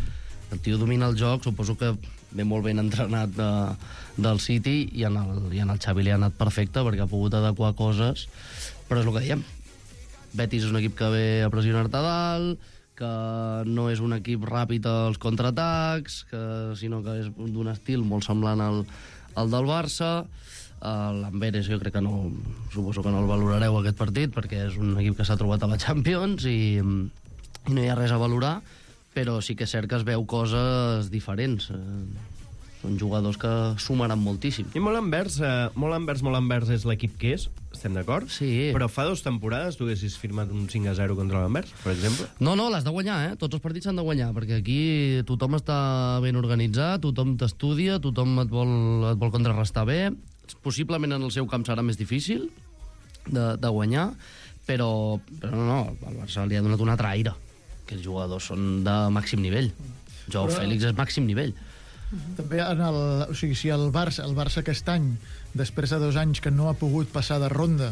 El tio domina el joc, suposo que ve molt ben entrenat de, del City i en, el, i en el Xavi li ha anat perfecte perquè ha pogut adequar coses, però és el que diem. Betis és un equip que ve a pressionar-te dalt, que no és un equip ràpid als contraatacs, que, sinó que és d'un estil molt semblant al, al del Barça. L'Amberes jo crec que no... Suposo que no el valorareu aquest partit, perquè és un equip que s'ha trobat a la Champions i, i no hi ha res a valorar, però sí que és cert que es veu coses diferents. Són jugadors que sumaran moltíssim. I molt envers, eh, molt envers, molt envers és l'equip que és, estem d'acord? Sí. Però fa dues temporades tu haguessis firmat un cinc a zero contra l'Anvers, per exemple? No, no, l'has de guanyar, eh? Tots els partits s'han de guanyar, perquè aquí tothom està ben organitzat, tothom t'estudia, tothom et vol, et vol contrarrestar bé. Possiblement en el seu camp serà més difícil de, de guanyar, però, però no, no, el Barça li ha donat un altre aire, que els jugadors són de màxim nivell. Joao Però- Fèlix és màxim nivell. També en el, o sigui, si el Barça, el Barça aquest any, després de dos anys que no ha pogut passar de ronda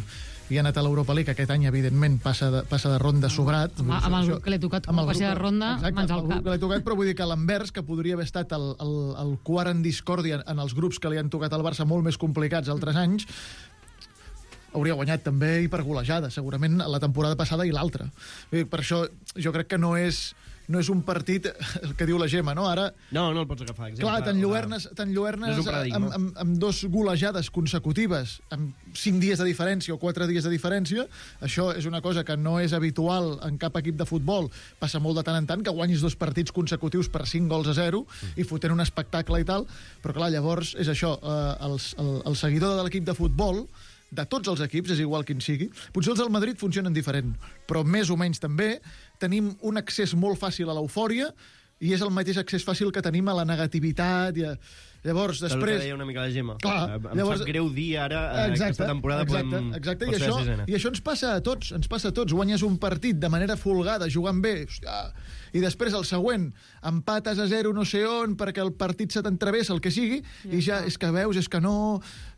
i ha anat a l'Europa League, aquest any, evidentment, passa de, passa de ronda sobrat. Amb- amb el grup que li ha tocat com amb a el passi de grup- ronda, exacte, mans al amb el grup cap. que li ha tocat, però vull dir que l'Anvers, que podria haver estat el, el, el quart en discòrdia en els grups que li han tocat al Barça molt més complicats altres anys, hauria guanyat també i per golejada, segurament la temporada passada i l'altra. Vull dir, Per això jo crec que no és no és un partit, el que diu la Gemma, no? Ara, No, no el pots agafar. Exemple, clar, t'enlluernes No és un paradigma. amb, amb, amb dos golejades consecutives, amb cinc dies de diferència o quatre dies de diferència, això és una cosa que no és habitual en cap equip de futbol. Passa molt de tant en tant que guanyis dos partits consecutius per cinc gols a zero i fotent un espectacle i tal, però clar, llavors és això, eh, els, el, el seguidor de l'equip de futbol, de tots els equips, és igual quin sigui. Potser els del Madrid funcionen diferent, però més o menys també tenim un accés molt fàcil a l'eufòria i és el mateix accés fàcil que tenim a la negativitat. I a... Llavors, Després... després... El que deia una mica la Gemma. Clar, em llavors... sap greu dir ara, eh, exacte, aquesta temporada exacte, podem... exacte. I pot ser això, sisena. I això ens passa a tots, ens passa a tots. Guanyes un partit de manera folgada, jugant bé, hòstia, i després el següent empates a zero no sé on perquè el partit se t'entrevessa, el que sigui, ja i ja és que veus, és que no...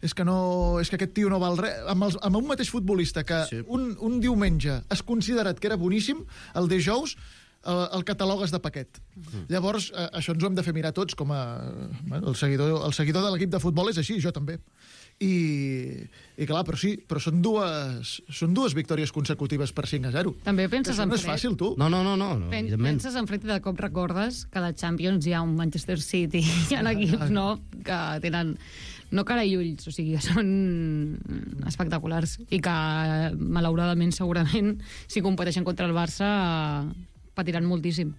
És que, no, és que aquest tio no val res. Amb, els, amb un mateix futbolista que sí. un, un diumenge has considerat que era boníssim, el dijous el, el catalogues de paquet. Mm. Llavors, eh, això ens ho hem de fer mirar tots com a... Bueno, el, seguidor, el seguidor de l'equip de futbol és així, jo també. I, i clar, però sí, però són dues, són dues victòries consecutives per cinc a zero. També penses en no és fred. fàcil, tu. No, no, no, no, no Pen evidentment. penses en fred i de cop recordes que a la Champions hi ha un Manchester City, hi ha equips no, que tenen no cara i ulls, o sigui, són espectaculars i que, malauradament, segurament, si competeixen contra el Barça, patiran moltíssim.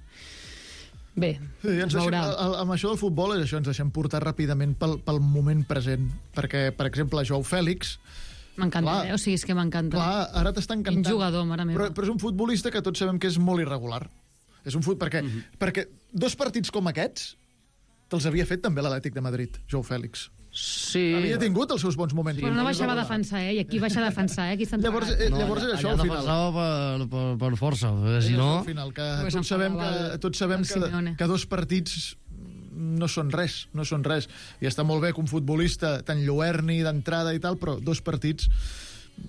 Bé, Sí, ens es deixem, veurà. el, amb això del futbol és això, ens deixem portar ràpidament pel, pel moment present, perquè, per exemple, Joao Fèlix, M'encanta, clar, eh? O sigui, és que m'encanta. clar, ara t'està encantant. Quin jugador, mare meva. Però, però és un futbolista que tots sabem que és molt irregular. És un fut... perquè, Mhm. perquè dos partits com aquests te'ls havia fet també l'Atlètic de Madrid, Joao Fèlix. Sí. Havia tingut els seus bons moments. Però no baixava a defensar, eh? I aquí baixa a defensar, eh? Aquí està Llavors, enterrat. eh, llavors és això, allà al final. defensava per, per, per força, perquè És si no... això, al final, que Pues tots sabem, que, enfadava el- tots sabem el que, Simeone. que dos partits no són res, no són res. I està molt bé que un futbolista tan lluerni d'entrada i tal, però dos partits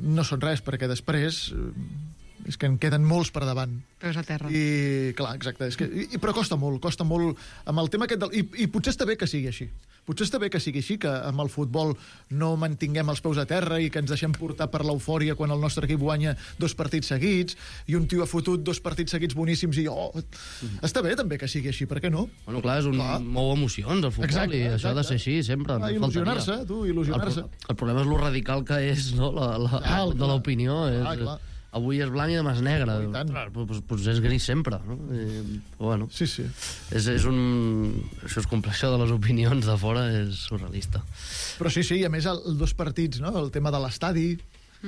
no són res, perquè després eh, és que en queden molts per davant. Peus a terra. I, clar, exacte. És que, i, però costa molt, costa molt amb el tema aquest del... I, I potser està bé que sigui així. Potser està bé que sigui així, que amb el futbol no mantinguem els peus a terra i que ens deixem portar per l'eufòria quan el nostre equip guanya dos partits seguits i un tio ha fotut dos partits seguits boníssims i oh, està bé també que sigui així, per què no? Bueno, clar, és un Clar. mou emocions, el futbol, Exacte, i això ha de exacte. ser així, sempre. Ah, no il·lusionar-se, faltaria. tu, il·lusionar-se. El, pro- el problema és lo radical que és, no?, la, la, Clar, de clar. l'opinió. Clar, És, clar. avui és blanc i demà és negre. Oh, i tant. Clar, doncs, doncs és gris sempre, no? I, bueno, Sí, sí. és, és un... Això és complex, això de les opinions de fora és surrealista. Però sí, sí, i a més el, els dos partits, no? El tema de l'estadi, eh,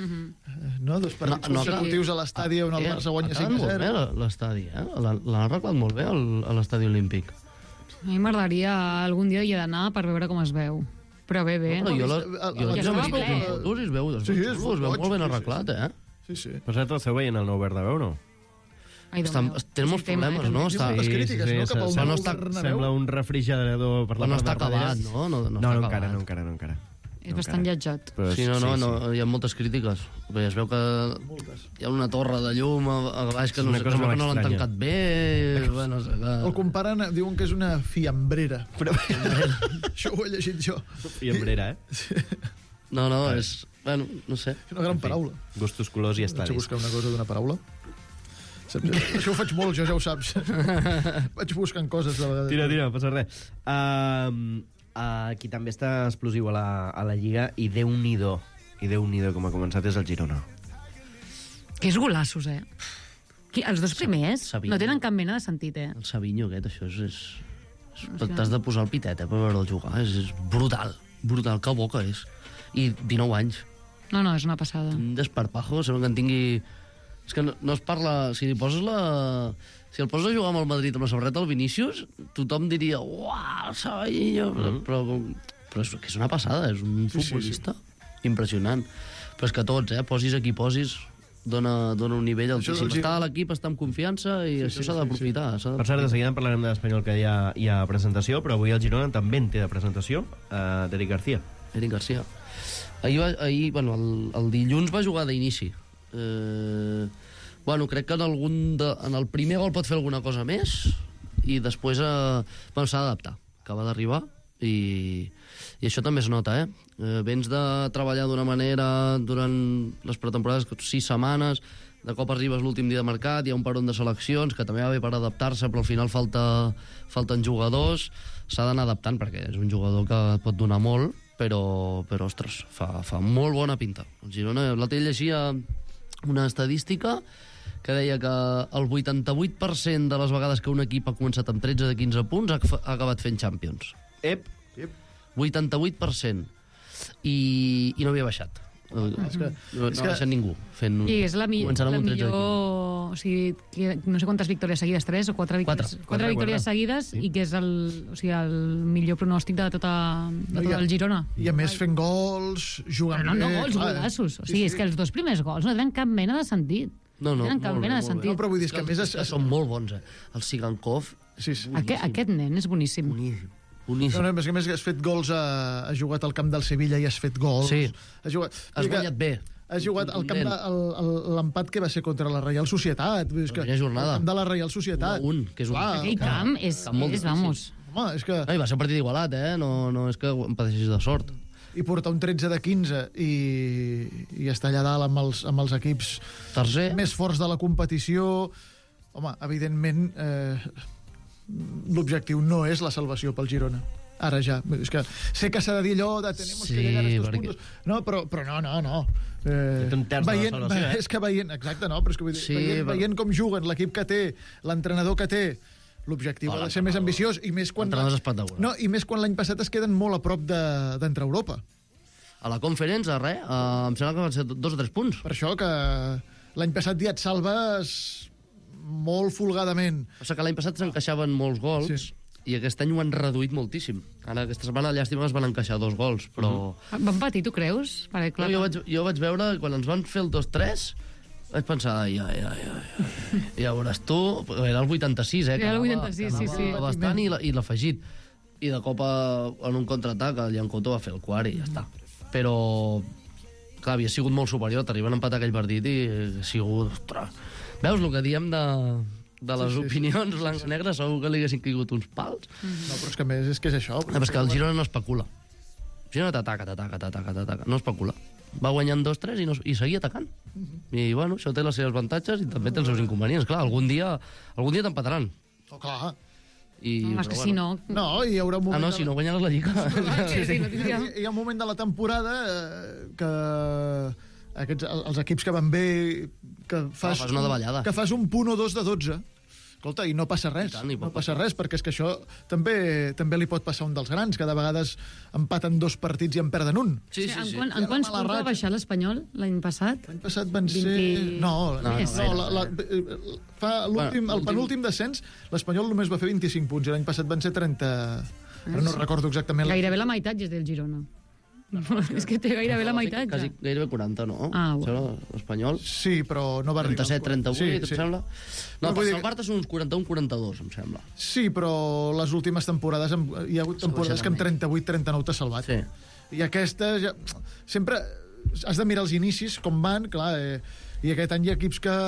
no? Dos partits No, no, consecutius a l'estadi on el Eh, Barça guanya ha quedat cinc a molt bé zero. la- l'estadi, eh? L'han l'han arreglat molt bé el- a l'estadi olímpic. A mi m'agradaria algun dia hi he d'anar per veure com es veu. Però bé, bé. Però jo la, el- jo el- la el- he estava vist ple. en fotos i es veu, es Sí, veu és xulo, es veu boig, molt ben sí, sí, arreglat, eh? Sí, sí. Per cert, esteu veient el nou Bernabéu, no? Ai, Déu Està, meu. tenen molts És un tema, problemes, eh, no? també. Està, Les crítiques, no? Cap al se- nou no Bernabéu. Sembla un refrigerador per la Però no part està de darrere. acabat, no? No, no No, està no, encara, acabat. no, encara, no, encara. És bastant lletjat. Però Sí, no, no, no, hi ha moltes crítiques. Bé, es veu que hi ha una torre de llum a, a baix que És no, una sé, cosa es veu molt que no l'han estranya. tancat bé. Bueno, no sé, que... El comparen, diuen que és una fiambrera. Però això ho he llegit jo. I embrera, eh? No, no, és... Bueno, no sé. És una gran paraula. Gustos, colors i Vaig a estadis. buscar una cosa d'una paraula. Saps? Això ho faig molt, jo ja ho saps. Vaig buscant coses de vegades. Tira, tira, no passa res. Uh, aquí també està explosiu a la, a la Lliga i Déu-n'hi-do. I Déu-n'hi-do, com ha començat, és el Girona. Que és golassos, eh? Qui, els dos primers Sabino. no tenen cap mena de sentit, eh? El Savinho aquest, això és... és, és T'has de posar el pitet, eh, per veure'l jugar. És, és brutal, brutal, que bo que és. I dinou anys. No, no, és una passada. Un desparpajo, sembla que en tingui... És que no, no es parla... Si li poses la... Si el poses a jugar amb el Madrid amb la samarreta del Vinícius, tothom diria, uau, el Savinho... Mm-hmm. Però, però és que és una passada, és un Sí, sí, futbolista impressionant. Però és que tots, eh, posis a qui posis, dona, dona un nivell altíssim. Això, sí. Està a l'equip, està amb confiança i Sí, això sí, s'ha sí, d'aprofitar. s'ha Per cert, de d'aprofitar. seguida en parlarem de l'Espanyol, que hi ha, hi ha presentació, però avui el Girona també en té de presentació, uh, d'Eric García. Eric Garcia. Ahir, va, ahir bueno, el, el dilluns va jugar d'inici. Eh, bueno, crec que en, algun de, en el primer gol pot fer alguna cosa més i després eh, bueno, s'ha d'adaptar. Acaba d'arribar i, i això també es nota, eh? eh? Vens de treballar d'una manera durant les pretemporades, sis setmanes, de cop arribes l'últim dia de mercat, hi ha un peron de seleccions que també va bé per adaptar-se, però al final falta, falten jugadors, s'ha d'anar adaptant perquè és un jugador que et pot donar molt, però, però ostres, fa, fa molt bona pinta. El Girona, l'altre dia llegia una estadística que deia que el vuitanta-vuit per cent de les vegades que un equip ha començat amb tretze de quinze punts ha, ha acabat fent Champions. Ep, Ep. vuitanta-vuit per cent. I, i no havia baixat. No, és que- no, és no que- ha deixat ningú fent... I és la, mi començant amb la un tretze millor... O sigui, que, no sé quantes victòries seguides, tres o quatre victòries, Quatre. quatre victòries seguides, i que és el, o sigui, el millor pronòstic de tota, de No, tot i a- el Girona. I a més fent gols, jugant Però no, no bé... gols, clar, golassos. O sí, sigui, sí. és que els dos primers gols no tenen cap mena de sentit. No, no, tenen cap molt bé, mena de molt bé. sentit. No, però vull dir, és que a més... És que són molt bons, eh? El Sigankov, Sí, sí. Aquest, aquest nen és boníssim. boníssim. No, Boníssim. no, és que a més has fet gols, a, has jugat al camp del Sevilla i has fet gols. Sí. Has jugat... Has vull dir que guanyat bé. Has jugat al camp de, Contundent. el- el- l'empat que va ser contra la Reial Societat. Vull dir, és que, primera jornada. el camp de la Reial Societat. Un a un, que és un- Clar, Aquell camp és, Camp molt és difícil. vamos... home, és que... No, i va ser un partit igualat, eh? No, no és que em pateixis de sort. I portar un tretze de quinze i, i estar allà dalt amb els, amb els equips Tercer, més forts de la competició... Home, evidentment, eh, l'objectiu no és la salvació pel Girona. Ara ja. És que sé que s'ha de dir allò de tenemos Sí, que llegar a estos perquè- puntos. No, però, però no, no, no. Eh, Té un terç de la veient, salvació, eh? És que veient... Exacte, no, però és que vull dir, Sí, veient, però- veient com juguen, l'equip que té, l'entrenador que té, l'objectiu ha de ser més ambiciós i més quan... L'entrenador és espectacular. No, i més quan l'any passat es queden molt a prop de- d'entrar a Europa. a la Conference, a res, uh, em sembla que van ser dos o tres punts. Per això que l'any passat ja et salves molt folgadament. Passa que l'any passat s'encaixaven molts gols Sí. i aquest any ho han reduït moltíssim. Ara, aquesta setmana, llàstima, es van encaixar dos gols, però... Van patir, tu creus? Perquè, clar, No, jo, vaig, jo vaig veure, quan ens van fer el dos tres, vaig pensar, ai, ai, ai, ai. Ja veuràs tu, era el vuitanta-sis, eh? que Era el anava- vuitanta-sis, que sí, anava sí. Bastant i la- i l'afegit. I de cop, a, en un contraatac, el Llancoto va fer el quart i ja està. Però, clar, havia sigut molt superior, t'arriben a empatar aquell partit i ha sigut... Ostres. Veus el que diem de, de les Sí, sí, sí. opinions blanc i negre? Segur que li haguessin caigut uns pals. No, però és que a més és que és això. Ah, però és que el Girona no especula. El Girona t'ataca, t'ataca, t'ataca, t'ataca. No especula. Va guanyant dos tres i, no, i seguia atacant. I, bueno, això té les seves avantatges i també té els seus inconvenients. Clar, algun dia, algun dia t'empataran. Oh, clar. I, no, és que si no... No, hi haurà un Ah, moment... no, de si la- no guanyes la Lliga. Sí, sí, no Hi, tindríem... hi ha un moment de la temporada eh, que aquests, els equips que van bé que fas, Ah, fas una davallada. que fas un punt o dos de dotze. Escolta, i no passa res. I tant, i pot no passa res, perquè és que això també també li pot passar a un dels grans, que de vegades empaten dos partits i en perden un. Sí, sí, En, sí. quan, Hi ha en la quants mala punts va ratxa. baixar l'Espanyol l'any passat? L'any passat van ser... vint- No, no, Més. no la, la, eh, fa l'últim, Bueno, el penúltim descens, l'Espanyol només va fer vint-i-cinc punts, i l'any passat van ser trenta... Ara no recordo exactament... la- Gairebé la meitat és del Girona. És que té gairebé la meitat, ja. Quasi, gairebé quaranta, no? Ah, Em bueno. sembla, l'Espanyol. Sí, però no va arribar... als trenta-set, trenta-vuit, Sí, em sí. sembla. Però No, vull per dir que- salvar-te són uns quaranta-un quaranta-dos, em sembla. Sí, però les últimes temporades hem- hi ha hagut temporades que amb trenta-vuit trenta-nou t'ha salvat. Sí. I aquesta ja... Sempre has de mirar els inicis, com van, clar, eh, i aquest any hi ha equips que...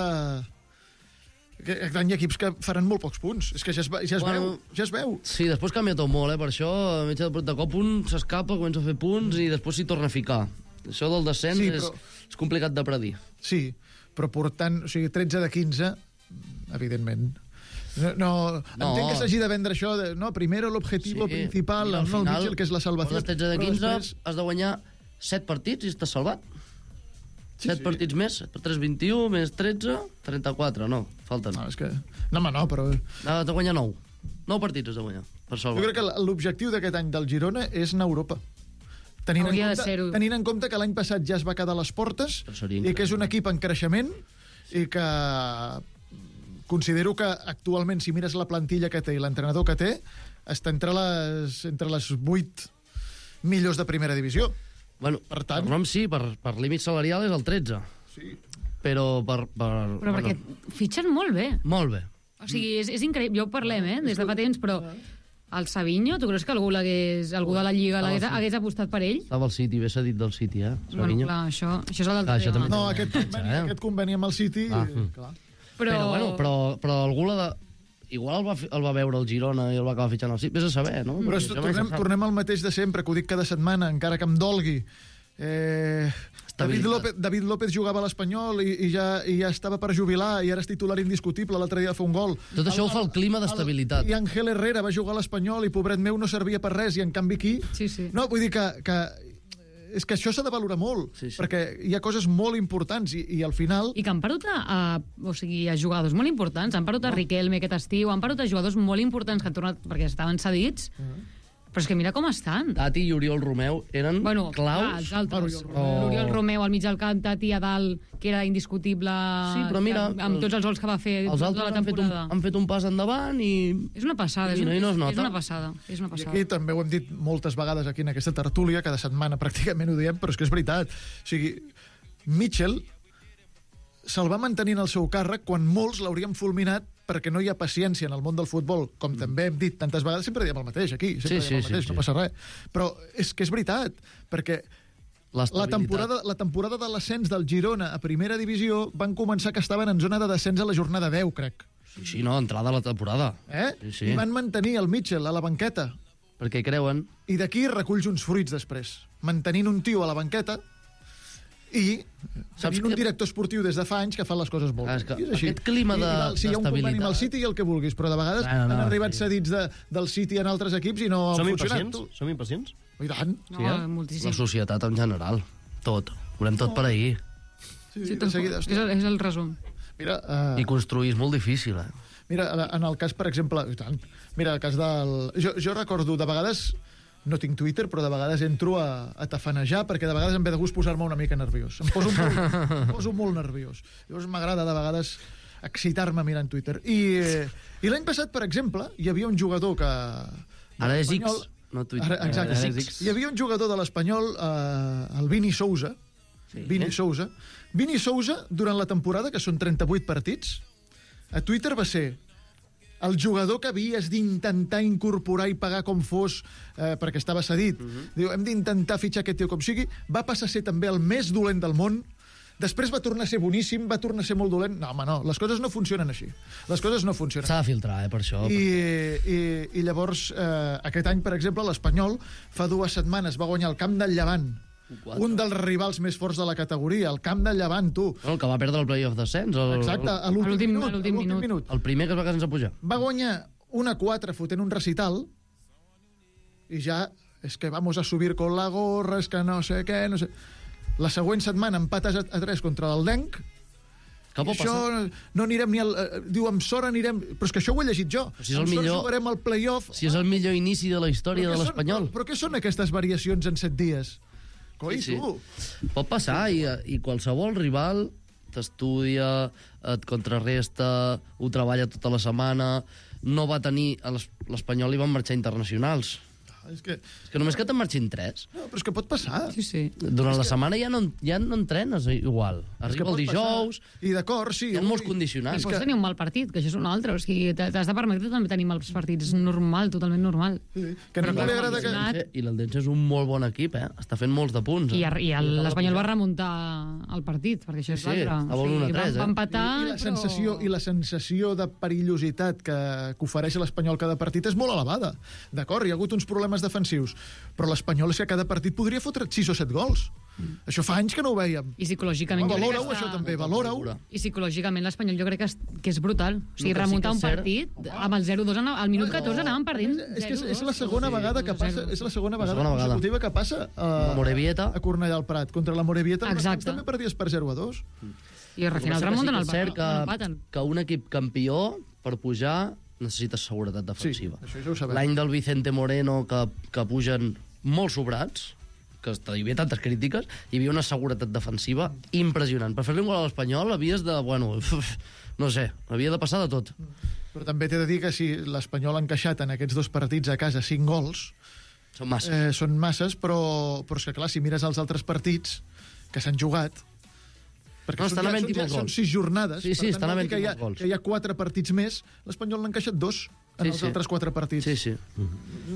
Aquest any hi ha equips que faran molt pocs punts. És que ja es, va- ja es Bueno, veu, ja es veu. Sí, després canvia tot molt, eh? Per això, a mitja de, de cop un s'escapa, comença a fer punts i després s'hi torna a ficar. Això del descens Sí, sí, però- és, és complicat de predir. Sí, però portant, o sigui, tretze de quinze, evidentment. No, no, No. entenc que s'hagi de vendre això de, no, primero l'objetivo principal, Mira, el al no, final, Mitchell, que és la salvació. portes tretze de però quinze, després- has de guanyar set partits i estàs salvat. Sí, set sí. partits més, set per tres, vint-i-u, més tretze, trenta-quatre, no, falten. No, és que... No, home, no, però... Has de guanyar nou. nou partits has de guanyar, per Jo salvar. crec que l'objectiu d'aquest any del Girona és anar a Europa. Tenint en, Hauria de compte, ser-ho. tenint en compte que l'any passat ja es va quedar a les portes Però seria i que és un increïble. equip en creixement i que considero que actualment, si mires la plantilla que té i l'entrenador que té, està entre les, entre les vuit millors de primera divisió. Bueno, Per tant- per nom sí, per, per límit salarial és el tretze. Sí. Però per... per Però perquè fitxen molt bé. Molt bé. O sigui, és, és increïble. Jo ho parlem, eh, des de fa temps, però el Savinho, tu creus que algú, l'hagués, algú de la Lliga l'hagués hagués apostat per ell? Estava al City, bé s'ha dit del City, eh? Bueno, Savinho. clar, això, això és el del Clar, això tema. també- No, aquest conveni, eh? aquest conveni amb el City... Ah. eh, clar. Però, Però, bueno, però, però algú l'ha de... Igual el va, fi- el va veure el Girona i el va acabar fitxant al City. Vés a saber, no? Però Això est- mai se tornem, sap. tornem al mateix de sempre, que ho dic cada setmana, encara que em dolgui. Eh, David, Estabilitat. López, David López jugava a l'Espanyol i, i, ja, i ja estava per jubilar i ara és titular indiscutible, l'altre dia va fer un gol. Tot això ho fa el clima d'estabilitat. I Ángel Herrera va jugar a l'Espanyol i pobret meu no servia per res i en canvi aquí... Sí, sí. No, vull dir que, que és que això s'ha de valorar molt, Sí, sí. perquè hi ha coses molt importants i, i al final... I que han perdut a, a, o sigui, a jugadors molt importants. Han perdut a Riquelme aquest estiu, han perdut a jugadors molt importants que han tornat perquè estaven cedits. Però és que mira com estan. Tati i Oriol Romeu eren Bueno, clar, claus. els altres. Oh. L'Oriol Romeu al mig del camp, Tati a dalt, que era indiscutible Sí, però mira, que, amb tots els gols que va fer Els tota altres la han fet, un, temporada. han fet un pas endavant i... És una passada, és, I no- una, i no es és, nota. és una passada. És una I passada. aquí també ho hem dit moltes vegades aquí en aquesta tertúlia, cada setmana pràcticament ho diem, però és que és veritat. O sigui, Mitchell se'l va mantenir en el seu càrrec quan molts l'haurien fulminat perquè no hi ha paciència en el món del futbol, com també hem dit tantes vegades, sempre diem el mateix aquí, sempre Sí, diem el sí, mateix, sí, no sí. passa res. Però és que és veritat, perquè la L'estabilitat. temporada, la temporada de l'ascens del Girona a primera divisió van començar que estaven en zona de descens a la jornada deu, crec. Sí, sí, no, entrada a la temporada. Eh? Sí, sí. I van mantenir el Mitchell a la banqueta. Perquè creuen... I d'aquí reculls uns fruits després. Mantenint un tio a la banqueta i Saps tenint un que- director esportiu des de fa anys que fa les coses molt Ah, bé. és que I és així. aquest clima I, de- i val, sí, hi ha un conveni amb el d'estabilitat- City i el que vulguis, però de vegades No, no, no, han arribat sí. cedits de, del City en altres equips i no Som han funcionat. impacients? Som impacients? I tant. No, Sí, eh? La moltíssim. societat en general. Tot. Volem tot per ahir. Sí, Sí, sí, tal de seguida, qual. hòstia. és, el, és el resum. Mira, uh, I construir és molt difícil, eh? mira, en el cas, per exemple... I tant. Mira, el cas del... Jo, jo recordo, de vegades... No tinc Twitter, però de vegades entro a, a tafanejar, perquè de vegades em ve de gust posar-me una mica nerviós. Em poso molt, em poso molt nerviós. Llavors m'agrada de vegades excitar-me mirant Twitter. I, eh, i l'any passat, per exemple, hi havia un jugador que... Ara és X, l'Espanyol- no Twitter. Ara, exacte, Ara és és X. Hi havia un jugador de l'Espanyol, eh, el Vini Sousa. Sí. Vini Sousa. Vini Sousa, durant la temporada, que són trenta-vuit partits, a Twitter va ser el jugador que havies d'intentar incorporar i pagar com fos, eh, perquè estava cedit. Uh -huh. Diu, hem d'intentar fitxar aquest tio com sigui. Va passar a ser també el més dolent del món. Després va tornar a ser boníssim, va tornar a ser molt dolent. No, home, no, les coses no funcionen així. Les coses no funcionen. S'ha de filtrar, eh, per això. I, i, i llavors, eh, aquest any, per exemple, l'Espanyol fa dues setmanes va guanyar el camp del Llevant, Quatre. un dels rivals més forts de la categoria, el camp del Llevant, tu. No, el que va perdre el playoff descens. El, Exacte, a A l'últim l'últim- minut. a l'últim a l'últim minut. minut. El primer que es va quedar sense pujar. Va guanyar una quatre fotent un recital i ja, és que vamos a subir con la gorra, és que no sé què, no sé... La següent setmana empates a, a tres contra l'Eldenc. Què pot I això passar? no anirem ni al... Eh, diu, amb sort anirem... Però és que això ho he llegit jo. si és el amb sort millor- jugarem al play-off. Si és el millor inici de la història Però de què l'Espanyol. Són, però, però què són aquestes variacions en set dies? Coi, Sí, sí. tu! Pot passar, i, i qualsevol rival t'estudia, et contrarresta, ho treballa tota la setmana, no va tenir... a l'Es- L'Espanyol hi van marxar internacionals. És que... És que només que te'n marxin tres. No, però és que pot passar. Sí, sí. Durant la setmana ja no, ja no entrenes igual. És que Arriba el pot dijous, passar. I d'acord, sí. hi ha ui. molts I condicionants. pots tenir un mal partit, que això és un altre. O sigui, t'has de permetre també tenir mals partits. És normal, totalment normal. Sí, que a ningú li agrada que... condicionat. I l'Eldense és un molt bon equip, eh? Està fent molts de punts. I, Eh? i el- l'Espanyol va remuntar el partit, perquè això és Sí, sí, l'altre. estava un a tres, va, va eh? empatar, I, i, la sensació, I la sensació de perillositat que, que ofereix l'Espanyol cada partit és molt elevada. D'acord, hi ha hagut uns problemes defensius, però l'Espanyol és que cada partit podria fotre sis o set gols. Mm. Això fa anys que no ho veiem. I psicològicament... jo crec que Valora-ho, està- això també, valora-ho. I psicològicament l'Espanyol jo crec que és, que és brutal. O sigui, El que sí remuntar que un és cert- partit amb el zero dos, al minut catorze anàvem perdent És que és, és la zero dos. segona Sí, vegada que passa, zero. és la segona La vegada segona vegada. consecutiva que passa a, La Morevieta. a Cornellà al Prat. Contra la Morevieta al Exacte. també perdies per zero a dos. I al final Sí que remunten sí el que és cert que, empaten. que un equip campió, per pujar, necessita seguretat defensiva. Sí, això ja ho sabem. L'any del Vicente Moreno, que, que pugen molt sobrats, que hi havia tantes crítiques, hi havia una seguretat defensiva impressionant. Per fer-li un gol a l'Espanyol havies de... Bueno, no sé, havia de passar de tot. Però també t'he de dir que si l'Espanyol ha encaixat en aquests dos partits a casa cinc gols, Són massa. eh, són masses, però, però és que clar, si mires els altres partits que s'han jugat, perquè No, són, estan ja, havent-hi són, ja, molts són gols. sis jornades, Sí, sí, per tant, estan vol dir havent-hi que hi, ha, molts gols. que hi ha quatre partits més, l'Espanyol n'ha encaixat dos en Sí, els sí. altres quatre partits. Sí, sí.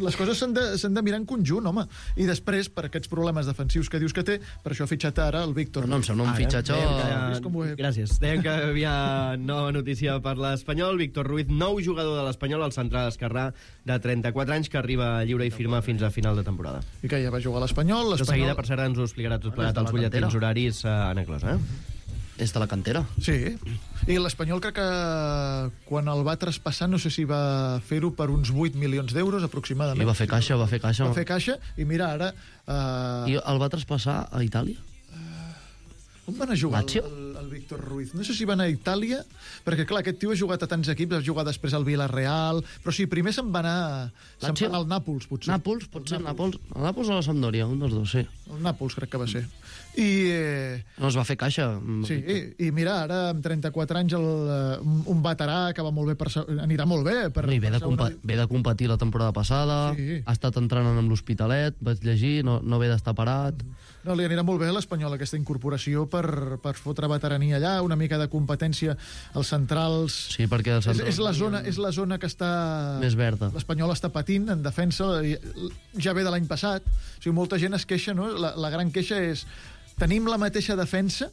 Les coses s'han de, s'han de mirar en conjunt, home. I després, per aquests problemes defensius que dius que té, per això ha fitxat ara el Víctor. No, no, em sembla un Ara, fitxatge... dèiem que- És com ho he- Gràcies. Dèiem que hi havia nova notícia per l'Espanyol. Víctor Ruiz, nou jugador de l'Espanyol, el central esquerrà de trenta-quatre anys, que arriba lliure i firma fins a final de temporada. I que ja va jugar a l'Espanyol. De l'Espanyol... seguida, per cert, ens ho explicarà tot plegat Bueno, als és de la butlletins cantera. horaris a Anna Closa, eh? És de la cantera. Sí, i l'Espanyol crec que quan el va traspassar no sé si va fer-ho per uns vuit milions d'euros I aproximadament. va fer caixa, va fer caixa. Va fer caixa i mira ara... I Uh, el va traspassar a Itàlia? on van a jugar? Lazio? El, el el Víctor Ruiz. No sé si va anar a Itàlia, perquè, clar, aquest tio ha jugat a tants equips, ha jugat després al Villarreal, però sí, primer se'n va anar, se'n va anar al Nàpols, potser. Nàpols, pot ser Nàpols. El Nàpols o la Sampdoria, un dels dos, sí. El Nàpols crec que va ser. I... Eh, no es va fer caixa. Sí, i, i mira, ara amb trenta-quatre anys el, un, un veterà que va molt bé per, anirà molt bé. Per, no, i ve de, segona... ve de competir la temporada passada, sí. Ha estat entrenant amb l'Hospitalet, vaig llegir, no, no ve d'estar parat. No, li anirà molt bé a l'Espanyol aquesta incorporació per, per fotre veterania allà, una mica de competència als centrals. Sí, perquè els centrals... És, és, la zona, és la zona que està... més verda. L'Espanyol està patint en defensa, ja ve de l'any passat. O sigui, molta gent es queixa, no? La, la gran queixa és... Tenim la mateixa defensa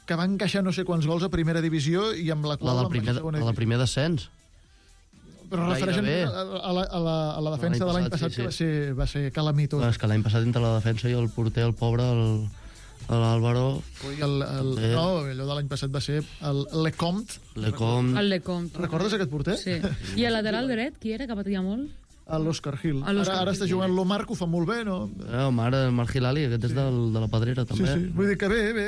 que va encaixar no sé quants gols a primera divisió i amb la qual... La del primer, la del primer descens. Però refereixen a, a, la, a, la, a la defensa de l'any passat, sí, sí. que va ser, va ser calamitosa. És que l'any passat entre la defensa i el porter, el pobre, el, l'Àlvaro... El, el, no, allò de l'any passat va ser el Lecomte. Lecomte. El Lecomte. Recordes aquest porter? Sí. I el lateral dret, qui era, que patia molt? A l'Òscar Gil. Ara, ara està jugant l'Omar, que ho fa molt bé, no? Eh, Omar, el Marc Hilali, aquest és del, de la Pedrera, també. Sí, sí. Vull dir que bé, bé,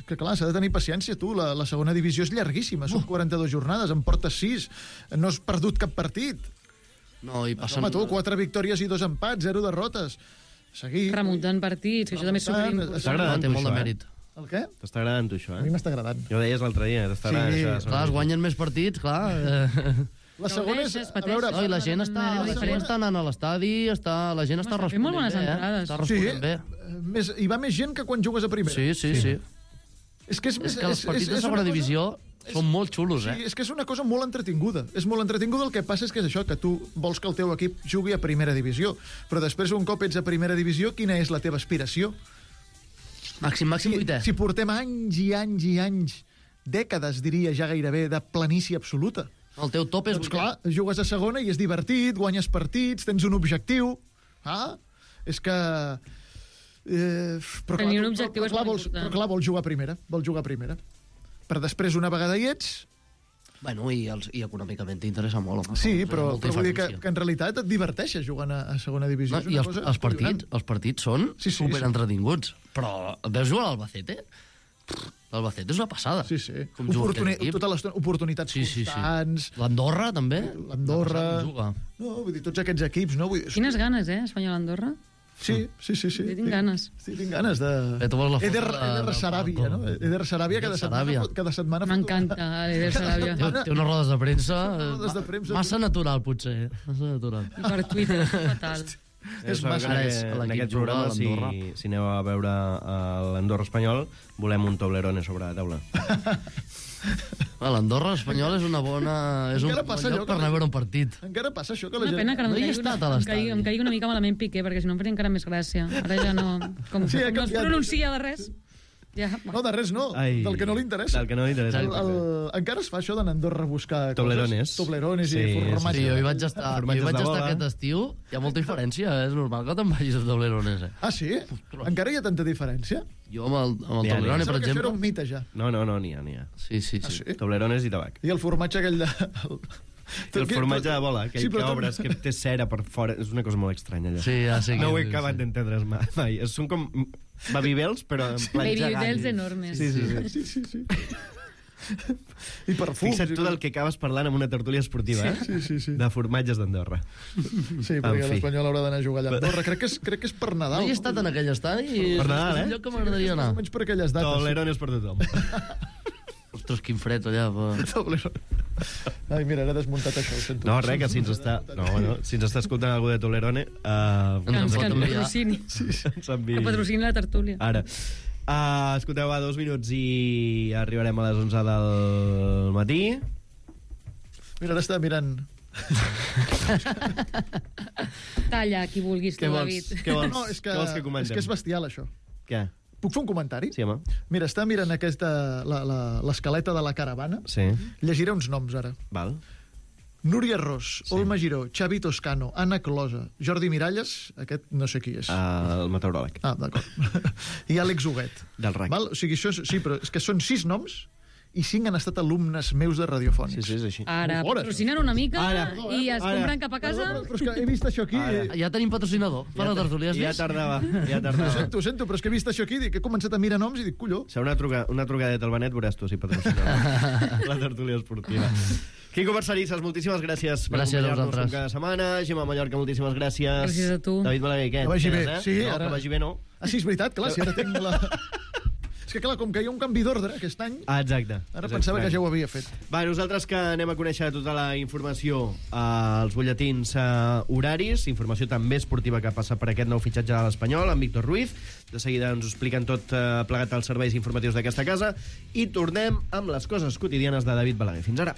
que clar, s'ha de tenir paciència, tu. La, la segona divisió és llarguíssima, són quaranta-dues jornades, en portes sis, no has perdut cap partit. No, i passen... Home, tu, quatre victòries i dos empats, zero derrotes. Seguir... Remuntant partits, que això també és superimportant. T'està agradant, té molt de això, mèrit. Eh? El què? T'està agradant, tu, això, eh? A mi m'està agradant. Ja ho deies l'altre dia, t'està Sí. agradant, això. Clar, es guanyen més partits, clar. Eh... La segona és... Gaudeixes, A veure, No, i la gent està, la gent està anant a l'estadi, està, la gent està Home, fem molt responent bones bé, eh? entrades. Està sí, responent bé. més, hi va més gent que quan jugues a primera. Sí, sí, sí. És que, és, És que els partits és, de és segona una cosa- divisió són molt xulos, eh? Sí, és que és una cosa molt entretinguda. És molt entretinguda, el que passa és que és això, que tu vols que el teu equip jugui a primera divisió, però després, un cop ets a primera divisió, quina és la teva aspiració? Màxim, màxim Si, vuitè. si portem anys i anys i anys, dècades, diria ja gairebé, de planícia absoluta. El teu top és Doncs vuitè. clar, jugues a segona i és divertit, guanyes partits, tens un objectiu. Ah, és que... Eh, però Tenir clar, un tu- objectiu però, és clar, molt vols, important. però clar, vols jugar a primera, vols jugar a primera. Per després, una vegada hi ets, Bueno, i, els, i econòmicament t'interessa molt, home. sí, Hi ha però, molta però vull dir que, diferència. que en realitat et diverteixes jugant a, a segona divisió. No, És I una els, cosa els, partits, acollonant. els partits són Sí, sí, super sí. entretinguts. Però veus jugar a l'Albacete? L'Albacete és una passada. Sí, sí. Com juga Oportuni aquest equip. tota l'estona, oportunitats Sí, sí, sí. constants. L'Andorra, també. L'Andorra... Una passada com juga. No, vull dir, tots aquests equips, no? Vull dir, Quines ganes, eh, Espanyol-Andorra? Sí, sí, sí. sí. Jo tinc ganes. Sí, tinc ganes de... Eh, tu vols la foto Eder, de- Eder del Saràbia, Paco. no? Eder Saràbia cada Eder setmana, Saràbia. fot- cada setmana... fot- M'encanta l'Eder Saràbia. Té, té unes rodes de premsa, rodes de premsa. massa natural, potser. Massa natural. I per Twitter, fatal. És sabeu massa- que en Ara és aquest, en l'equip aquest juga a programa, si, l'Andorra. si aneu a veure eh, l'Andorra espanyol, volem un Toblerone sobre la taula. Ah, L'Andorra espanyol és una bona... És un Encara bon passa allò lloc que per anar a veure un partit. Encara passa això que la Una gent... pena que no, No hi he em, caigui estat a una, em, l'estadi. caigui, em caigui una mica malament Piqué, perquè si no em faria encara més gràcia. Ara ja no... Com, Sí, ha com no es canviat. pronuncia de res... Ja, No, de res no, Ai, del que no li interessa. Del que no li interessa. El, el, encara es fa això d'anar a Andorra a buscar Toblerones. coses. Toblerones Sí, i sí, formatge. Sí, jo hi vaig estar, jo hi Formatges vaig de estar bola. aquest estiu. Hi ha molta diferència, eh? És normal que te'n vagis a Toblerones, eh? Ah, sí? Encara hi ha tanta diferència? Jo amb el, amb el N'hi ha, Toblerone, Pensava per que això era exemple... un mite, ja. No, no, no, n'hi ha, n'hi ha. Sí, sí, Ah, sí. sí? Toblerones i tabac. I el formatge aquell de... El, El formatge de bola, aquell Sí, sí, però que tot- obres, que té cera per fora, és una cosa molt estranya, allò. Sí, ja sé No ho que- he acabat sí. d'entendre mai, mai. Són com babybels, però en plan Baby gegant. Bells enormes. Sí, sí, sí. Sí, sí, sí. I perfums. Fixa't tu del que acabes parlant en una tertúlia esportiva, eh? Sí, sí, sí. De formatges d'Andorra. Sí, En perquè fi. l'Espanyol haurà d'anar a jugar allà a Andorra. Crec que és, crec que és per Nadal. No hi he estat en aquell estadi i Per Nadal, és un eh? lloc que m'agradaria anar. Més o menys per aquelles dates. Toblerones per tothom. Ostres, quin fred allà. Va. Toblerone. Ai, mira, ara he desmuntat això, ho sento. No, res, que si ens està, no, no, si ens està escoltant algú de Toblerone, uh, Que ens, Ens que pot ens enviar. patrocini. ens enviï. Que patrocini la tertúlia. Ara. Uh, escolteu, va, dos minuts i arribarem a les onze del matí. Mira, ara està mirant... Talla, qui vulguis Què tu, vols? David. Què vols? No, és que, Què vols que comentem? és que és bestial, això. Què? Puc fer un comentari? Sí, home. Mira, està mirant aquesta, la- la- l'escaleta de la caravana. Sí. Llegiré uns noms, ara. Val. Núria Ros, Sí. Olma Giró, Xavi Toscano, Anna Closa, Jordi Miralles, aquest no sé qui és. Uh, el meteoròleg. Ah, d'acord. I Àlex Huguet. Del R A C. Val? O sigui, això és, sí, però és que són sis noms i cinc han estat alumnes meus de radiofònics. Sí, sí, és així. Ara, Molt fort, patrocinen una mica Ara. i es Ara. compren cap a casa. Però, però és que he vist això aquí... Ara. i- Ja tenim patrocinador per la tertúlia, has Ja vist? tardava, ja Ho tardava. sento, ho sento, però és que he vist això aquí, dic, he començat a mirar noms i dic, colló. Serà una, truca, una trucadeta al Benet, veuràs tu si patrocina la tertúlia esportiva. Quico Barcerisses, moltíssimes gràcies per Gràcies a acompanyar-nos vosaltres. com cada setmana. Gemma Mallorca, moltíssimes gràcies. Gràcies a tu. David Balaguer, què? Que vagi bé, Quedes, eh? sí, no, ara- Que vagi bé, no? Ah, sí, és veritat, clar, si ara tinc la... És que, clar, com que hi ha un canvi d'ordre aquest any, Ah, exacte. ara És pensava que estrany. ja ho havia fet. Va, nosaltres que anem a conèixer tota la informació als butlletins eh, horaris, informació també esportiva que passa per aquest nou fitxatge de l'Espanyol, amb Víctor Ruiz. De seguida ens ho expliquen tot eh, plegat als serveis informatius d'aquesta casa i tornem amb les coses quotidianes de David Balaguer. Fins ara.